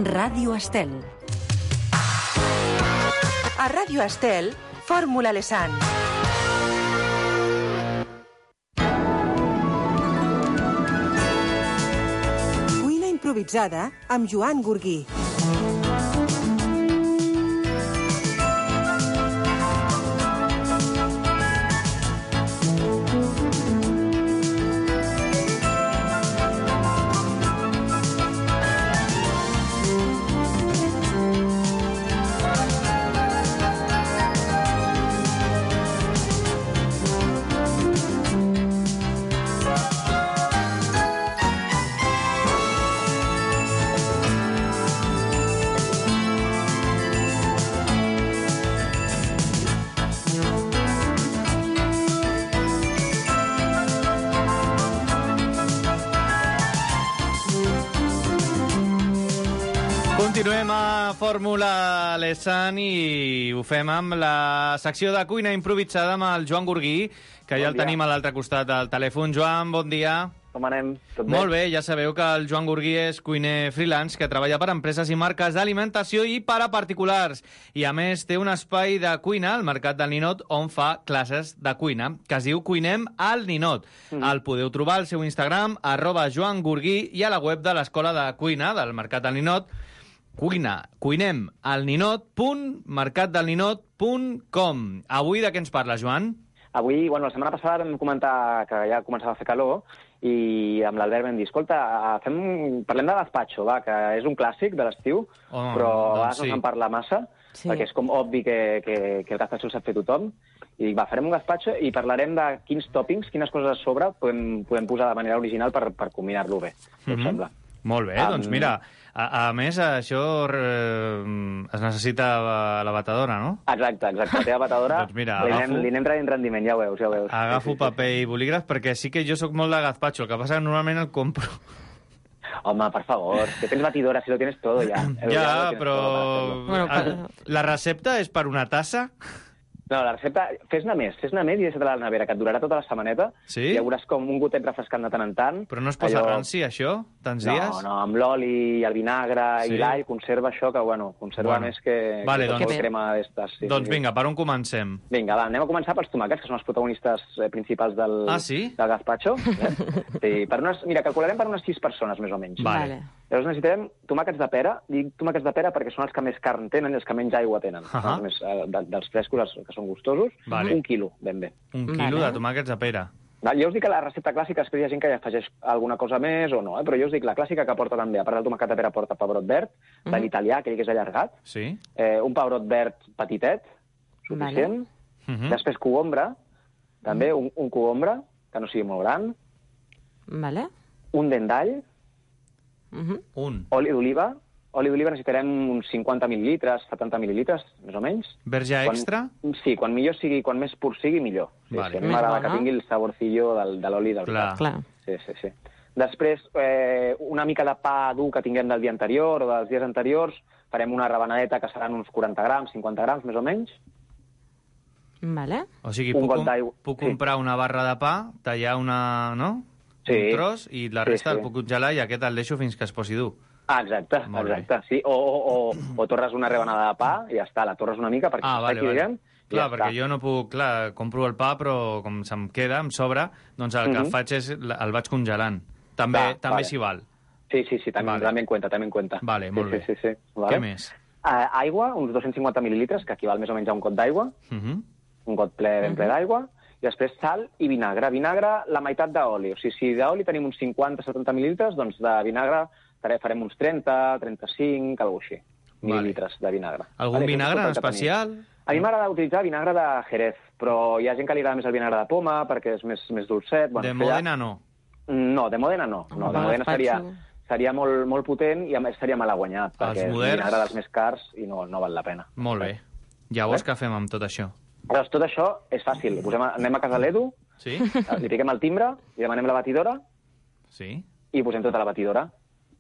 Ràdio Estel. A Ràdio Estel, Fórmula Lesan. Cuina improvisada amb Joan Gurguí. Continuem a Fórmula Lesan i ho fem amb la secció de cuina improvisada amb el Joan Gurguí, que ja el tenim a l'altre costat del telèfon. Joan, bon dia. Com anem? Tot bé? Molt bé, ja sabeu que el Joan Gurguí és cuiner freelance que treballa per empreses i marques d'alimentació i per a particulars. I a més té un espai de cuina al Mercat del Ninot on fa classes de cuina, que es diu Cuinem al Ninot. El podeu trobar al seu Instagram, @JoanGurguí, i a la web de l'Escola de Cuina del Mercat del Ninot, cuinemalninot.mercatdelninot.com. Avui de què ens parla, Joan? Avui, la setmana passada vam comentar que ja començava a fer calor i amb l'Albert vam dir, escolta, parlem de gazpacho, que és un clàssic de l'estiu, però a vegades no se'n parla massa, perquè és com obvi que el gazpacho el sap fer tothom. I dic, farem un gazpacho i parlarem de quins tòpings, quines coses a sobre podem posar de manera original per combinar-lo bé, si us sembla. Molt bé, doncs mira, a més això es necessita la batedora, no? Exacte, la teva batedora doncs mira, li anem traient rendiment, ja ho veus. Agafo paper i bolígraf perquè sí que jo sóc molt de gazpacho, el que passa que normalment el compro. Home, per favor, que tens batidora, si lo tienes todo ja. Ja, però la recepta és per una tassa? No, la recepta, fes-ne més i deixa-te-la a la nevera, que et durarà tota la setmaneta. Sí? I ja veuràs com un gotet refrescant de tant en tant. Però no es posa ranci, això, tants dies? No, amb l'oli, el vinagre i l'all conserva això, que, conserva més que crema d'estes. Doncs vinga, per on comencem? Vinga, va, anem a començar pels tomàquets, que són els protagonistes principals del gazpacho. Sí, mira, calcularem per unes 6 persones, més o menys. Vale. Llavors necessitem tomàquets de pera. Dic tomàquets de pera perquè són els que més carn tenen i els que menys aigua tenen. Dels frescos, que són gustosos, 1 quilo, ben bé. 1 quilo de tomàquets de pera. Jo us dic que la recepta clàssica, després hi ha gent que ja afegeix alguna cosa més o no, però jo us dic la clàssica que porta també, a part del tomàquet de pera, porta pebrot verd, de l'italià, aquell que és allargat, un pebrot verd petitet, suficient, després cogombre, també un cogombre, que no sigui molt gran, un dent d'all, oli d'oliva. Oli d'oliva necessitarem uns 50 mil·lilitres, 70 mil·lilitres, més o menys. Verge extra? Sí, quan més pur sigui, millor. Sí, a mi m'agrada que tingui el saborcillo de l'oli d'oliva. Sí. Després, una mica de pa dur que tinguem del dia anterior o dels dies anteriors, farem una rebanadeta que seran uns 40 grams, 50 grams, més o menys. Vale. O sigui, puc comprar una barra de pa, tallar un tros i la resta el puc congelar i aquest el deixo fins que es posi dur. Exacte, sí. O torres una rebanada de pa i ja està, la torres una mica perquè vale. Clar, perquè jo no puc... Clar, compro el pa, però com se'm queda, em sobra, doncs el que faig és el vaig congelant. També s'hi val. Sí, també en cuenta. Vale, molt bé. Sí. Què més? Aigua, uns 250 mil·lilitres, que equival més o menys a un got d'aigua, un got ben ple d'aigua, i després sal i vinagre. Vinagre, la meitat d'oli. O sigui, si d'oli tenim uns 50-70 mil·lilitres, doncs de vinagre farem uns 30-35, alguna cosa així, mil·lilitres de vinagre. Algun vinagre en especial? A mi m'agrada utilitzar vinagre de Jerez, però hi ha gent que li agrada més el vinagre de poma perquè és més dolcet. De Modena no? No, de Modena no. De Modena seria molt potent i a més seria malaguanyat, perquè és un vinagre dels més cars i no val la pena. Molt bé. Llavors què fem amb tot això? Doncs tot això és fàcil. Anem a casa l'Edu, li piquem el timbre, li demanem la batidora i posem tota la batidora.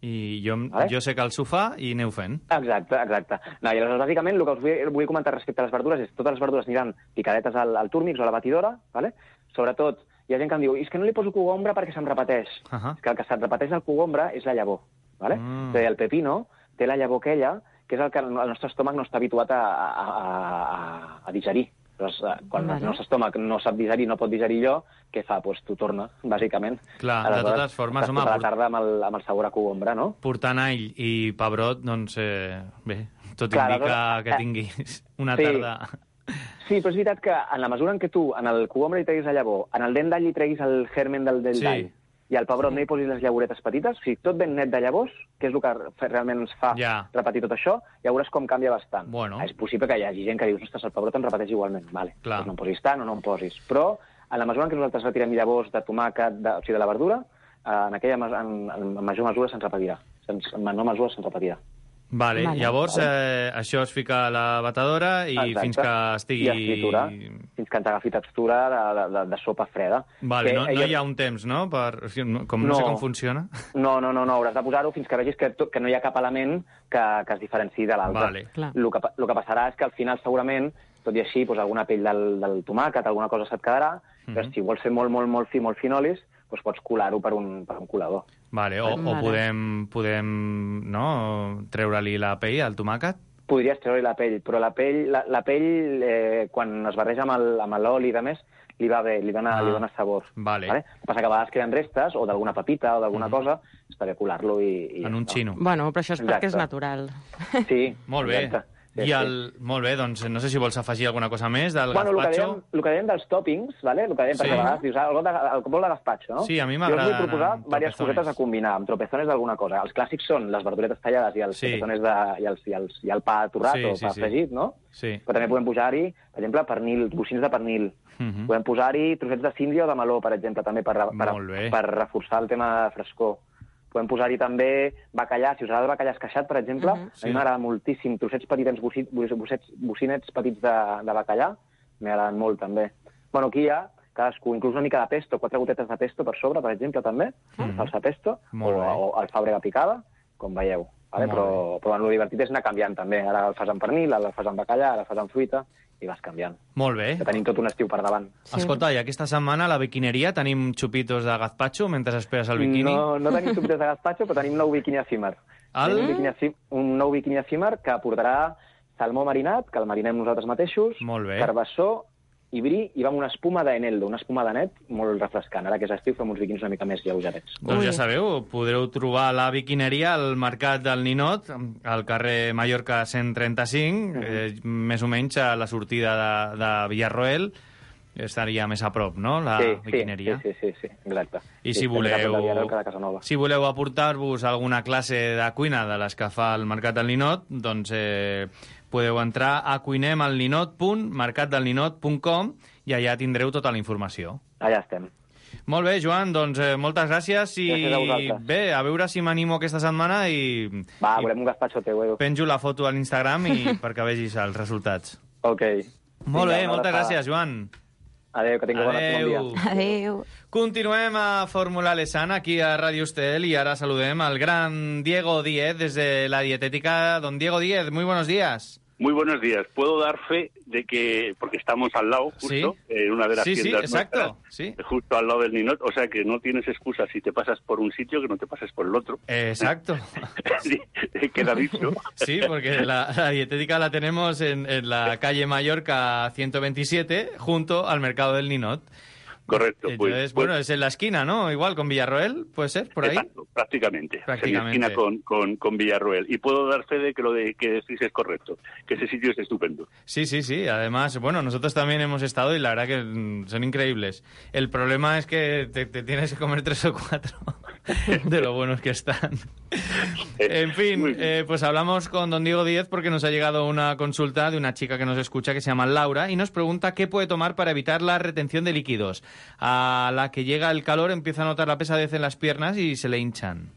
I jo sé que el sofà i aneu fent. Exacte. No, i aleshores, bàsicament, el que us vull comentar respecte a les verdures és que totes les verdures aniran picadetes al túrmix o a la batidora, ¿vale? Sobretot, hi ha gent que em diu és que no li poso cogombre perquè se'm repeteix. És que el que se't repeteix del cogombre és la llavor, ¿vale? El pepino té la llavor aquella, que és el que el nostre estómac no està habituat a digerir. Quan el nostre estómac no sap digerir, no pot digerir allò, què fa? Doncs t'ho torna, bàsicament. Clar, de totes formes, home... Tota la tarda amb el sabor a cogombre, no? Portant all i pebrot, doncs, bé, tot indica que tinguis una tarda... Sí, però és veritat que en la mesura en què tu, en el cogombre hi treguis la llavor, en el dent d'all hi treguis el germen del d'all, i al pebrot no hi posis les llagoretes petites, o sigui, tot ben net de llavors, que és el que realment ens fa repetir tot això, ja veuràs com canvia bastant. És possible que hi hagi gent que dius, ostres, el pebrot em repeteix igualment. Vale, doncs no en posis tant o no en posis. Però en la mesura en què nosaltres retirem llavors de tomàquet, o sigui, de la verdura, en major mesura se'ns repetirà. En menor mesura se'ns repetirà. Vale. Llavors això es fica a la batedora i fins que estigui... I es tritura, fins que ens agafi textura de sopa freda. Vale, no hi ha un temps, no? No sé com funciona. No, hauràs de posar-ho fins que vegis que no hi ha cap element que es diferenciï de l'altre. Vale. El que passarà és que al final segurament, tot i així, alguna pell del tomàquet, alguna cosa se't quedarà, però si vols fer molt fi, molt finolis, doncs pots colar-ho per un colador. Vale, o podem treure-li la pell al tomàquet? Podries treure-li la pell, però la pell quan es barreja amb l'oli i de més, li va bé, li dona sabor. Vale. El que passa que a vegades queden restes, o d'alguna pepita o d'alguna cosa, està bé colar-lo i... En un xino. Bueno, però això és perquè és natural. Sí, molt bé. Exacte. Molt bé, doncs no sé si vols afegir alguna cosa més del gazpacho. El que dèiem dels toppings, ¿vale? El que dèiem, perquè a vegades dius, el bol de gazpacho, no? Sí, a mi m'agrada. Jo us vull proposar diverses cosetes a combinar, amb tropezones d'alguna cosa. Els clàssics són les verduretes tallades i els tropezones i el pa torrat o pa fregit, no? Sí. Però també podem posar-hi, per exemple, pernil, bocins de pernil. Podem posar-hi trossets de síndria o de meló, per exemple, també per reforçar el tema de frescor. Podem posar-hi també bacallà. Si us agrada el bacallà esqueixat, per exemple, a mi m'agrada moltíssim. Trossets petits, bocinets petits de bacallà, m'agraden molt, també. Bueno, aquí hi ha cadascú, inclús una mica de pesto, 4 gotetes de pesto per sobre, per exemple, també, salsa pesto, o alfàbrega picada, com veieu. Però el divertit és anar canviant, també. Ara el fas amb pernil, ara el fas amb bacallà, ara el fas amb fruita, i vas canviant. Molt bé. Que tenim tot un estiu per davant. Escolta, i aquesta setmana a la biquineria tenim xupitos de gazpacho mentre esperes el biquini? No tenim xupitos de gazpacho, però tenim un nou biquini efímer. Un nou biquini efímer que portarà salmó marinat, que el marinem nosaltres mateixos, carbassó i bri, i va amb una espuma d'eneldo, una espuma de net molt refrescant. Ara que és estiu fem uns biquinis una mica més lleugerets. Doncs ja sabeu, podreu trobar la biquineria al Mercat del Ninot, al carrer Mallorca 135, més o menys a la sortida de Villarroel. Estaria més a prop, no?, la biquineria. Sí, exacte. I si voleu aportar-vos alguna classe de cuina de les que fa el Mercat del Ninot, doncs podeu entrar a cuinemalninot.mercatdelninot.com i allà tindreu tota la informació. Allà estem. Molt bé, Joan, doncs moltes gràcies i bé, a veure si m'animo aquesta setmana i... Va, volem un gazpacho teu, penjo la foto a l'Instagram perquè vegis els resultats. Ok. Molt bé, moltes gràcies, Joan. Adéu, que tingueu bon dia. Adéu. Continuem a Fórmula Lesana, aquí a Radio Estel, y ahora saludem al gran Diego Díez desde la dietética. Don Diego Díez, muy buenos días. Muy buenos días. Puedo dar fe de que, porque estamos al lado, justo, en una de las tiendas nuestras, justo al lado del Ninot, o sea que no tienes excusa si te pasas por un sitio que no te pases por el otro. Exacto. Sí, queda dicho. Sí, porque la dietética la tenemos en la calle Mallorca 127, junto al mercado del Ninot. Correcto. Entonces, bueno, es en la esquina, ¿no? Igual con Villarroel, ¿puede ser? ¿Por ahí? Exacto, prácticamente. En la esquina con Villarroel. Y puedo dar fe de que lo de que decís es correcto, que ese sitio es estupendo. Sí. Además, bueno, nosotros también hemos estado y la verdad que son increíbles. El problema es que te tienes que comer 3 o 4 de lo buenos que están. En fin, pues hablamos con don Diego Díez porque nos ha llegado una consulta de una chica que nos escucha que se llama Laura y nos pregunta qué puede tomar para evitar la retención de líquidos. A la que llega el calor empieza a notar la pesadez en las piernas y se le hinchan.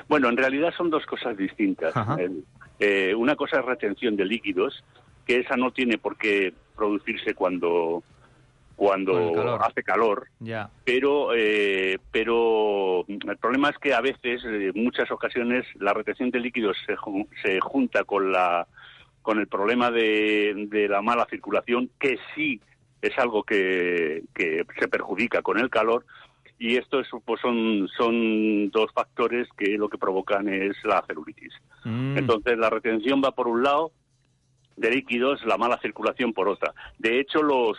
Bueno, en realidad son dos cosas distintas. Una cosa es retención de líquidos, que esa no tiene por qué producirse cuando hace calor, pero el problema es que a veces, en muchas ocasiones, la retención de líquidos se junta con el problema de la mala circulación, que sí es algo que se perjudica con el calor, y esto pues son dos factores que lo que provocan es la celulitis. Entonces la retención va por un lado de líquidos, la mala circulación por otra. De hecho, los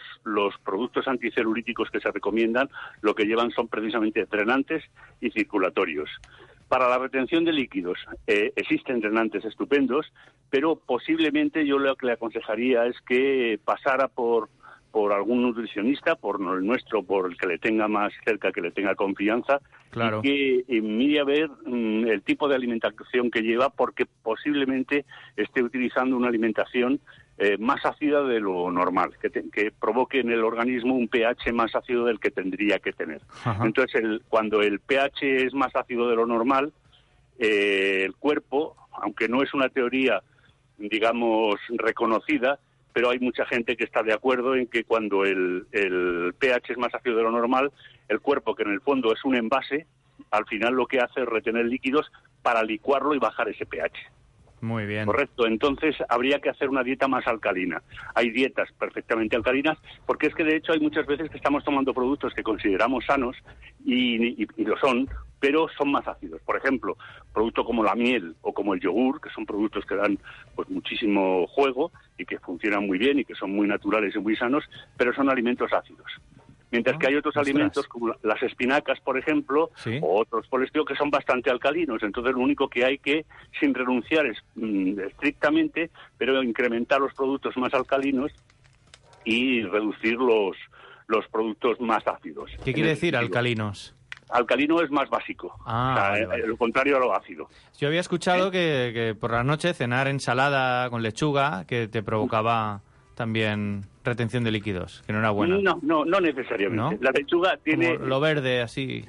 productos anticelulíticos que se recomiendan lo que llevan son precisamente drenantes y circulatorios. Para la retención de líquidos existen drenantes estupendos, pero posiblemente yo lo que le aconsejaría es que pasara por algún nutricionista, por el nuestro, por el que le tenga más cerca, que le tenga confianza, y que mire a ver el tipo de alimentación que lleva, porque posiblemente esté utilizando una alimentación más ácida de lo normal, que provoque en el organismo un pH más ácido del que tendría que tener. Entonces, cuando el pH es más ácido de lo normal, el cuerpo, aunque no es una teoría, digamos, reconocida, pero hay mucha gente que está de acuerdo en que cuando el pH es más ácido de lo normal, el cuerpo, que en el fondo es un envase, al final lo que hace es retener líquidos para licuarlo y bajar ese pH. Muy bien. Correcto, entonces habría que hacer una dieta más alcalina. Hay dietas perfectamente alcalinas, porque es que de hecho hay muchas veces que estamos tomando productos que consideramos sanos y lo son, pero son más ácidos. Por ejemplo, productos como la miel o como el yogur, que son productos que dan pues muchísimo juego y que funcionan muy bien y que son muy naturales y muy sanos, pero son alimentos ácidos. Mientras que hay otros alimentos, como las espinacas, por ejemplo, o otros por el estilo, que son bastante alcalinos. Entonces, lo único que hay que, sin renunciar estrictamente, pero incrementar los productos más alcalinos y reducir los productos más ácidos. ¿Qué quiere decir alcalinos? Alcalino es más básico, lo contrario a lo ácido. Yo había escuchado que por la noche cenar ensalada con lechuga, que te provocaba también retención de líquidos, que no era buena. No necesariamente. ¿No? La lechuga tiene... Como lo verde, así...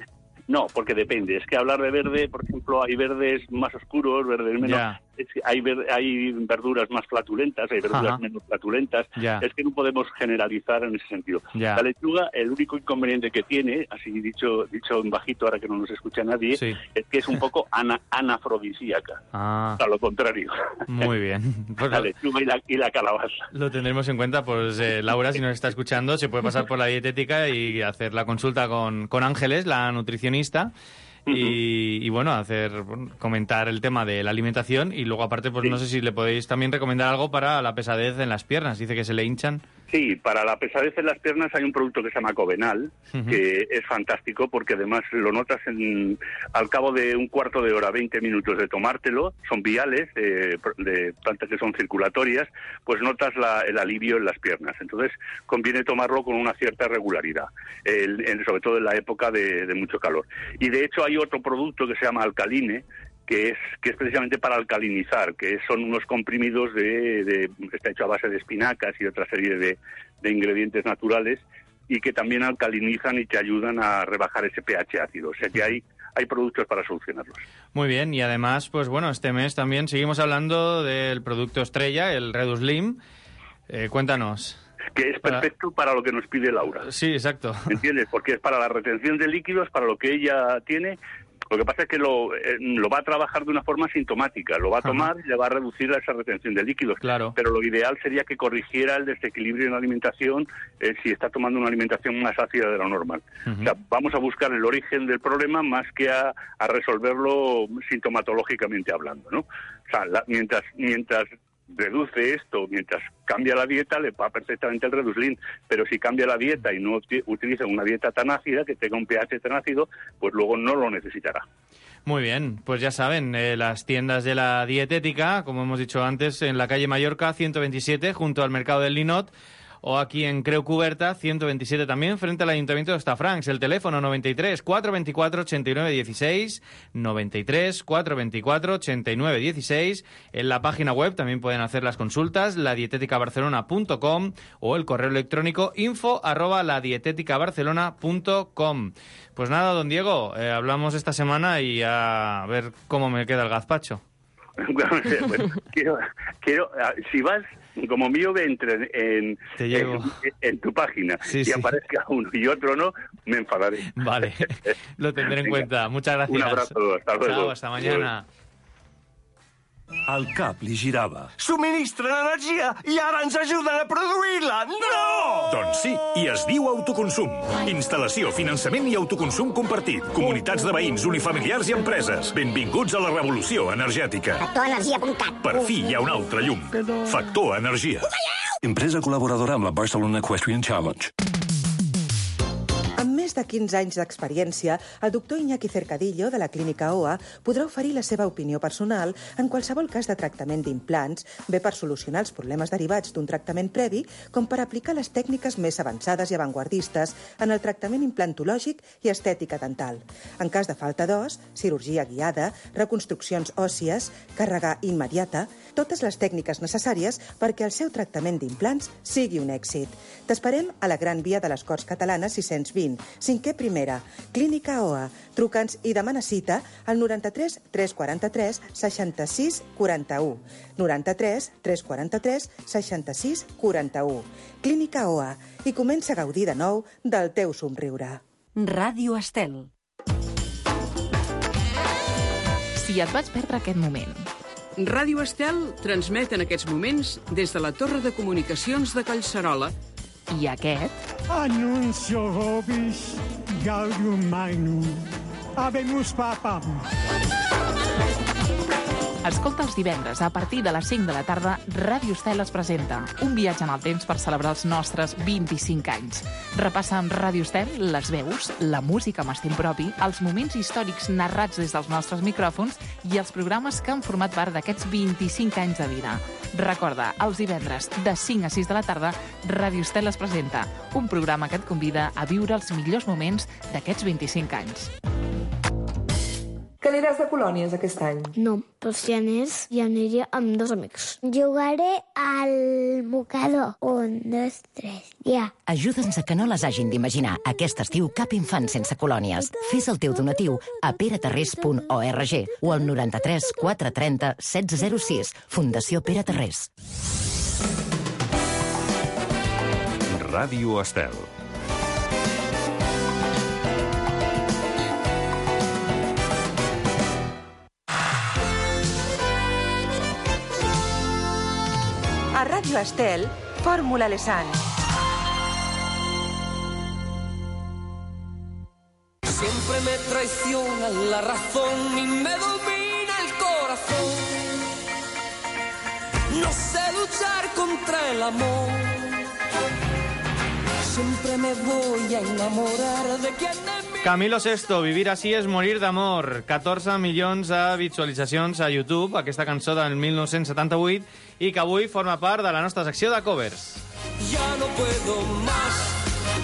No, porque depende. Es que hablar de verde, por ejemplo, hay verdes más oscuros, verdes menos... Es que hay verduras más flatulentas, hay verduras menos flatulentas. Es que no podemos generalizar en ese sentido. La lechuga, el único inconveniente que tiene, así dicho en bajito, ahora que no nos escucha nadie, es que es un poco anafrodisíaca. A lo contrario. Muy bien. Pues la lechuga y la calabaza. Lo tendremos en cuenta. Pues Laura, si nos está escuchando, se puede pasar por la dietética y hacer la consulta con Ángeles, la nutricionista. Y bueno, comentar el tema de la alimentación y luego aparte pues no sé si le podéis también recomendar algo para la pesadez en las piernas. Dice que se le hinchan. Sí, para la pesadez en las piernas hay un producto que se llama Covenal, que es fantástico porque además lo notas al cabo de un cuarto de hora, 20 minutos de tomártelo, son viales, de plantas que son circulatorias, pues notas el alivio en las piernas. Entonces conviene tomarlo con una cierta regularidad, sobre todo en la época de mucho calor. Y de hecho hay otro producto que se llama Alcaline, que es precisamente para alcalinizar, que son unos comprimidos está hecho a base de espinacas y otra serie de ingredientes naturales, y que también alcalinizan y te ayudan a rebajar ese pH ácido. O sea que hay productos para solucionarlos. Muy bien, y además, pues bueno, este mes también seguimos hablando del producto estrella, el Reduslim. Cuéntanos. Que es perfecto para lo que nos pide Laura. Sí, exacto. ¿Entiendes? Porque es para la retención de líquidos, para lo que ella tiene. Lo que pasa es que lo va a trabajar de una forma sintomática, lo va a tomar y le va a reducir esa retención de líquidos. Claro. Pero lo ideal sería que corrigiera el desequilibrio en la alimentación si está tomando una alimentación más ácida de lo normal. O sea, vamos a buscar el origen del problema más que a resolverlo sintomatológicamente hablando, ¿no? O sea, mientras reduce esto mientras cambia la dieta, le va perfectamente el Reduslin, pero si cambia la dieta y no utiliza una dieta tan ácida, que tenga un pH tan ácido, pues luego no lo necesitará. Muy bien, pues ya saben, las tiendas de la dietética, como hemos dicho antes, en la calle Mallorca 127, junto al mercado del Linot, o aquí en Creu Cuberta 127 también, frente al Ayuntamiento de Hostafrancs. El teléfono 93 424 89 16, 93 424 89 16. En la página web también pueden hacer las consultas, ladieteticabarcelona.com, o el correo electrónico info@ladieteticabarcelona.com. Pues nada, don Diego, hablamos esta semana y a ver cómo me queda el gazpacho. Bueno, quiero, si vas, como mío, entre en tu página y aparezca uno y otro no, me enfadaré. Vale, lo tendré en cuenta. Muchas gracias. Un abrazo, hasta luego. Chao, hasta mañana. El cap li girava. Subministren energia i ara ens ajuden a produir-la! No! Doncs sí, i es diu autoconsum. Instal·lació, finançament i autoconsum compartit. Comunitats de veïns, unifamiliars i empreses. Benvinguts a la revolució energètica. Factorenergia.cat. Per fi hi ha un altre llum. Factor Energia. Empresa col·laboradora amb la Barcelona Equestrian Challenge. Amb més de 15 anys d'experiència, el doctor Iñaki Cercadillo, de la Clínica OA, podrà oferir la seva opinió personal en qualsevol cas de tractament d'implants, bé per solucionar els problemes derivats d'un tractament previ, com per aplicar les tècniques més avançades i avantguardistes en el tractament implantològic i estètica dental. En cas de falta d'os, cirurgia guiada, reconstruccions òssies, càrrega immediata, totes les tècniques necessàries perquè el seu tractament d'implants sigui un èxit. T'esperem a la Gran Via de les Corts Catalanes 620, 5è primera, Clínica OA. Truca'ns i demana cita al 93 343 66 41. 93 343 66 41. Clínica OA. I comença a gaudir de nou del teu somriure. Ràdio Estel. Si et vaig perdre aquest moment. Ràdio Estel transmet en aquests moments des de la Torre de Comunicacions de Collserola. I aquest? Annuncio vobis gaudium magnum. Habemus papam. Escolta els divendres, a partir de les 5 de la tarda, Ràdio Estel es presenta un viatge en el temps per celebrar els nostres 25 anys. Repassa amb Ràdio Estel les veus, la música amb estil propi, els moments històrics narrats des dels nostres micròfons i els programes que han format part d'aquests 25 anys de vida. Recorda, els divendres, de 5 a 6 de la tarda, Ràdio Estel es presenta un programa que et convida a viure els millors moments d'aquests 25 anys. Que aniràs de colònies aquest any? No, però si anés, ja aniria amb 2 amics. Jugaré al mocador. 1, 2, 3, ja. Ajuda'ns a que no les hagin d'imaginar. Aquest estiu cap infant sense colònies. Fes el teu donatiu a peraterrés.org o al 93 430 1606. Fundació Pere Terrés. Ràdio Estel. A Ràdio Estel, Fórmula Lesan. Siempre me traiciona la razón y me domina el corazón. No sé luchar contra el amor. Siempre me voy a enamorar de quien de mí. Camilo VI, Vivir así es morir d'amor. 14 milions de visualitzacions a YouTube, aquesta cançó del 1978, i que avui forma part de la nostra secció de covers. Ya no puedo más,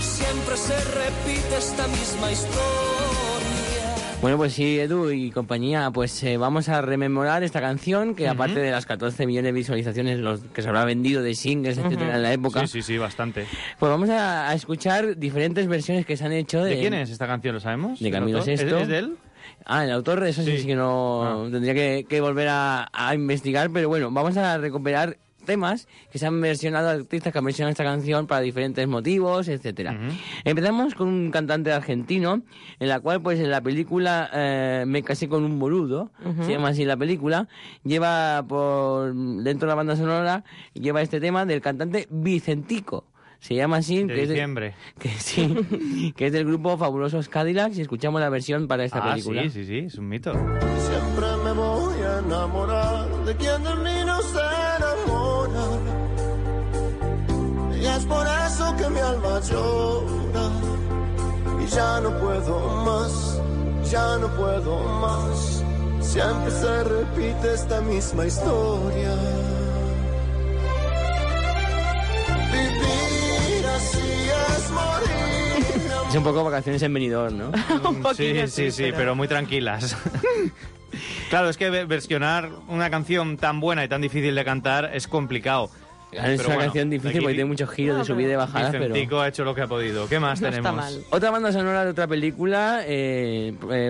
siempre se repite esta misma historia. Bueno, pues sí, Edu y compañía, pues vamos a rememorar esta canción que aparte de las 14 millones de visualizaciones los que se habrá vendido de singles, etcétera, en la época. Sí, bastante. Pues vamos a escuchar diferentes versiones que se han hecho de... ¿De quién es esta canción, lo sabemos? De Camilo VI. ¿Es de él? Ah, el autor, eso sí que no... Tendría que volver a investigar, pero bueno, vamos a recuperar temas que se han versionado, artistas que han versionado esta canción para diferentes motivos, etcétera. Empezamos con un cantante argentino, en la cual, pues en la película Me casé con un boludo, se llama así la película, lleva dentro de la banda sonora, lleva este tema del cantante Vicentico. Se llama así, de diciembre. Que es del grupo Fabulosos Cadillacs, y escuchamos la versión para esta película. Sí, es un mito. Siempre me voy a enamorar de quien de mí no se enamora. eso que mi alma llora. Y ya no puedo más, ya no puedo más. Siempre se repite esta misma historia. Vivir así es morir. Es un poco vacaciones en Benidorm, ¿no? Sí, pero muy tranquilas. Claro, es que versionar una canción tan buena y tan difícil de cantar es complicado. Es una canción difícil porque tiene muchos giros de subida y bajada, pero... Vicentico ha hecho lo que ha podido. ¿Qué más tenemos? Está mal. Otra banda sonora de otra película,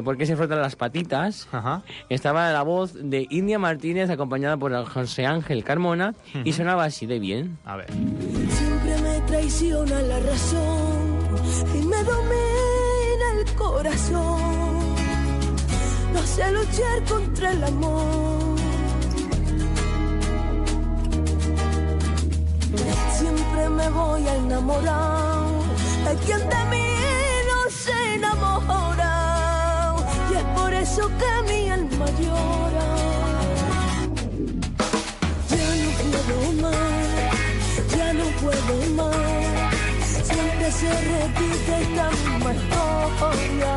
¿Por qué se frotan las patitas? Ajá. Estaba la voz de India Martínez acompañada por José Ángel Carmona y sonaba así de bien. A ver. Siempre me traiciona la razón y me domina el corazón. No sé luchar contra el amor. Siempre me voy a enamorar de quien de mí no se enamora. Y es por eso que mi alma llora. Ya no puedo más, ya no puedo más. Siempre se repite esta misma historia.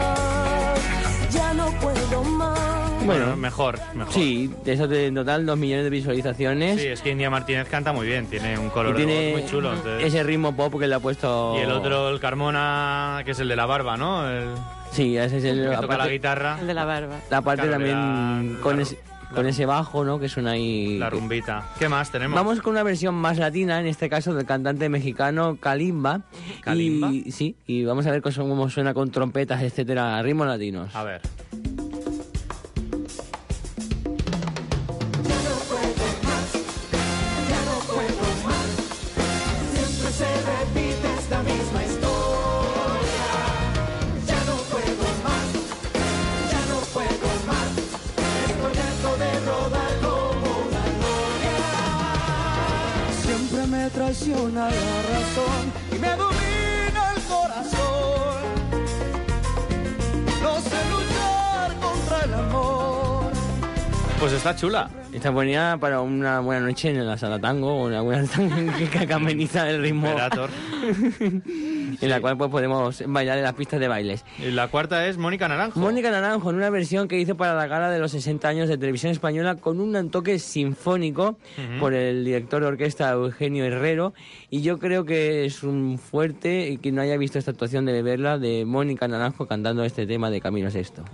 Ya no puedo más. Bueno, mejor. Sí, de eso en total 2 millones de visualizaciones. Sí, es que India Martínez canta muy bien, tiene un color tiene de voz muy chulo. Entonces... ese ritmo pop que le ha puesto... Y el otro, el Carmona, que es el de la barba, ¿no? Sí, ese es el... que toca la guitarra. El de la barba. La parte también con ese bajo, ¿no? Que suena ahí... La rumbita. ¿Qué más tenemos? Vamos con una versión más latina, en este caso del cantante mexicano Kalimba. ¿Kalimba? Y vamos a ver cómo suena con trompetas, etcétera, ritmos latinos. A ver. Traiciona la razón y me domina el corazón. No sé luchar contra el amor. Pues está chula. Está buena para una buena noche en la sala tango o una buena tango que ameniza el ritmo. En la cual pues podemos bailar en las pistas de bailes. Y la cuarta es Mónica Naranjo. Mónica Naranjo, en una versión que hizo para la gala de los 60 años de Televisión Española con un toque sinfónico por el director de orquesta Eugenio Herrero. Y yo creo que es un fuerte, y quien no haya visto esta actuación debe verla, de Mónica Naranjo cantando este tema de Camilo Sesto.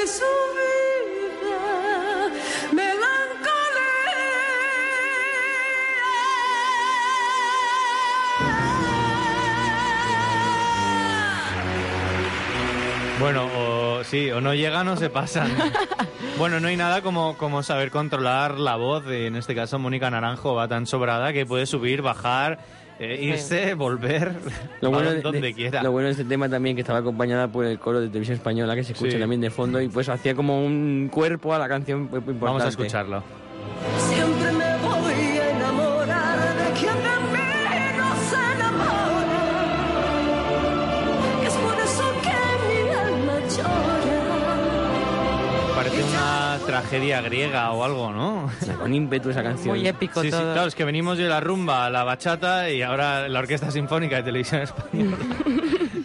Su vida, Bueno, o no llegan o se pasan. Bueno, no hay nada como saber controlar la voz. En este caso, Mónica Naranjo va tan sobrada que puede subir, bajar, irse, volver, donde quiera. Lo bueno de este tema también que estaba acompañada por el coro de Televisión Española, que se escucha también de fondo, y pues hacía como un cuerpo a la canción muy importante. Vamos a escucharlo. Siempre me voy a enamorar de quien de mí no se enamora. Es por eso que mi alma llora. Parece una tragedia griega o algo, ¿no? Con ímpetu esa canción. Muy épico todo. Sí, claro, es que venimos de la rumba a la bachata y ahora la Orquesta Sinfónica de Televisión Española.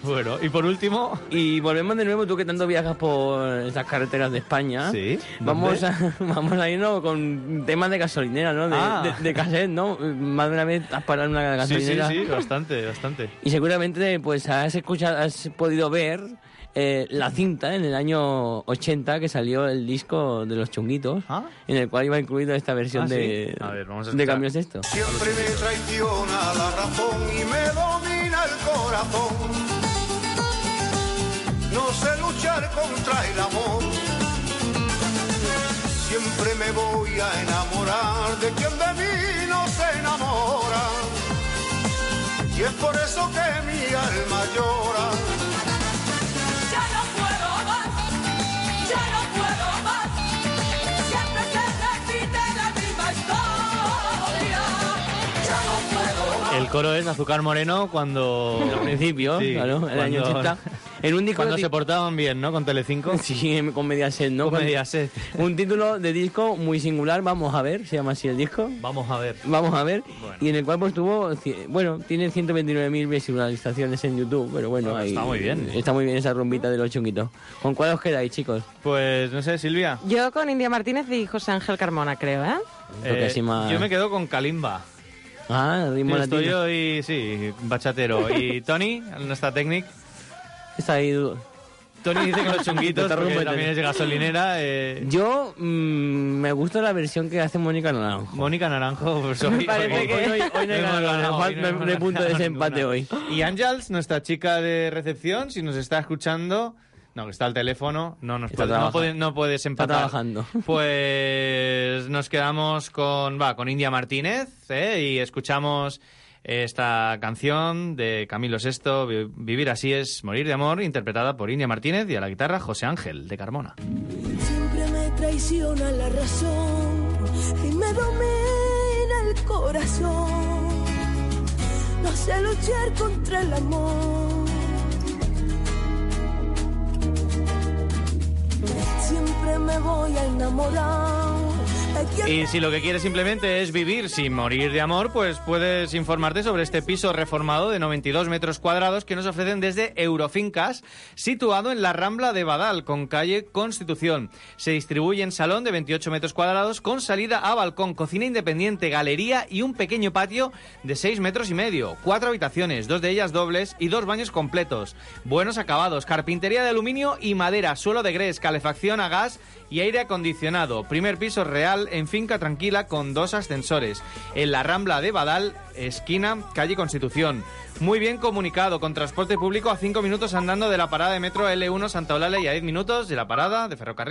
Bueno, y por último... Y volvemos de nuevo, tú que tanto viajas por estas carreteras de España. Sí. Vamos a irnos con temas de gasolinera, ¿no? De cassette, ¿no? Más de una vez has parado en una gasolinera. Sí, bastante. Y seguramente pues has podido ver la cinta en el año 80 que salió el disco de Los Chunguitos, en el cual iba incluido esta versión de Camilo Sesto. Siempre me traiciona la razón y me domina el corazón. No sé luchar contra el amor. Siempre me voy a enamorar de quien de mí no se enamora. Y es por eso que mi alma llora. Ya no puedo más, ya no puedo más. Siempre se repite la misma historia. Ya no puedo más. El coro es Azúcar Moreno cuando... Al principio, sí, claro, el año 80. En un disco cuando se portaban bien, ¿no? Con Telecinco. Sí, con Mediaset, ¿no? Con Mediaset. Un título de disco muy singular, Vamos a ver, se llama así el disco. Vamos a ver. Vamos a ver. Bueno. Y en el cual pues tuvo, bueno, tiene 129.000 visualizaciones en YouTube, pero bueno, ahí... Está muy bien. Está muy bien esa rumbita de los chunguitos. ¿Con cuál os quedáis, chicos? Pues, no sé, Silvia. Yo con India Martínez y José Ángel Carmona, creo, ¿eh? Yo me quedo con Kalimba. Ah, ritmo latino. Estoy hoy, sí, bachatero. ¿Y Tony, nuestra técnico? Está ahí... Tony dice que los chunguitos, porque también es de gasolinera. Yo me gusta la versión que hace Mónica Naranjo. Mónica Naranjo, pues hoy... Me parece que hoy no hay ganado, no hay punto de desempate hoy. Y Ángels, nuestra chica de recepción, si nos está escuchando... No, que está al teléfono, no puedes empatar. Está trabajando. Pues nos quedamos con India Martínez, y escuchamos esta canción de Camilo VI, Vivir así es morir de amor, interpretada por India Martínez y a la guitarra José Ángel de Carmona. Siempre me traiciona la razón y me domina el corazón. No sé luchar contra el amor. Siempre me voy a enamorar. Y si lo que quieres simplemente es vivir sin morir de amor, pues puedes informarte sobre este piso reformado de 92 metros cuadrados que nos ofrecen desde Eurofincas, situado en la Rambla de Badal, con calle Constitución. Se distribuye en salón de 28 metros cuadrados con salida a balcón, cocina independiente, galería y un pequeño patio de 6 metros y medio. 4 habitaciones, 2 de ellas dobles y 2 baños completos. Buenos acabados, carpintería de aluminio y madera, suelo de grés, calefacción a gas y aire acondicionado. Primer piso real en finca tranquila con 2 ascensores. En la Rambla de Badal, esquina calle Constitución. Muy bien comunicado, con transporte público a 5 minutos andando de la parada de metro L1 Santa Eulalia y a 10 minutos de la parada de ferrocarril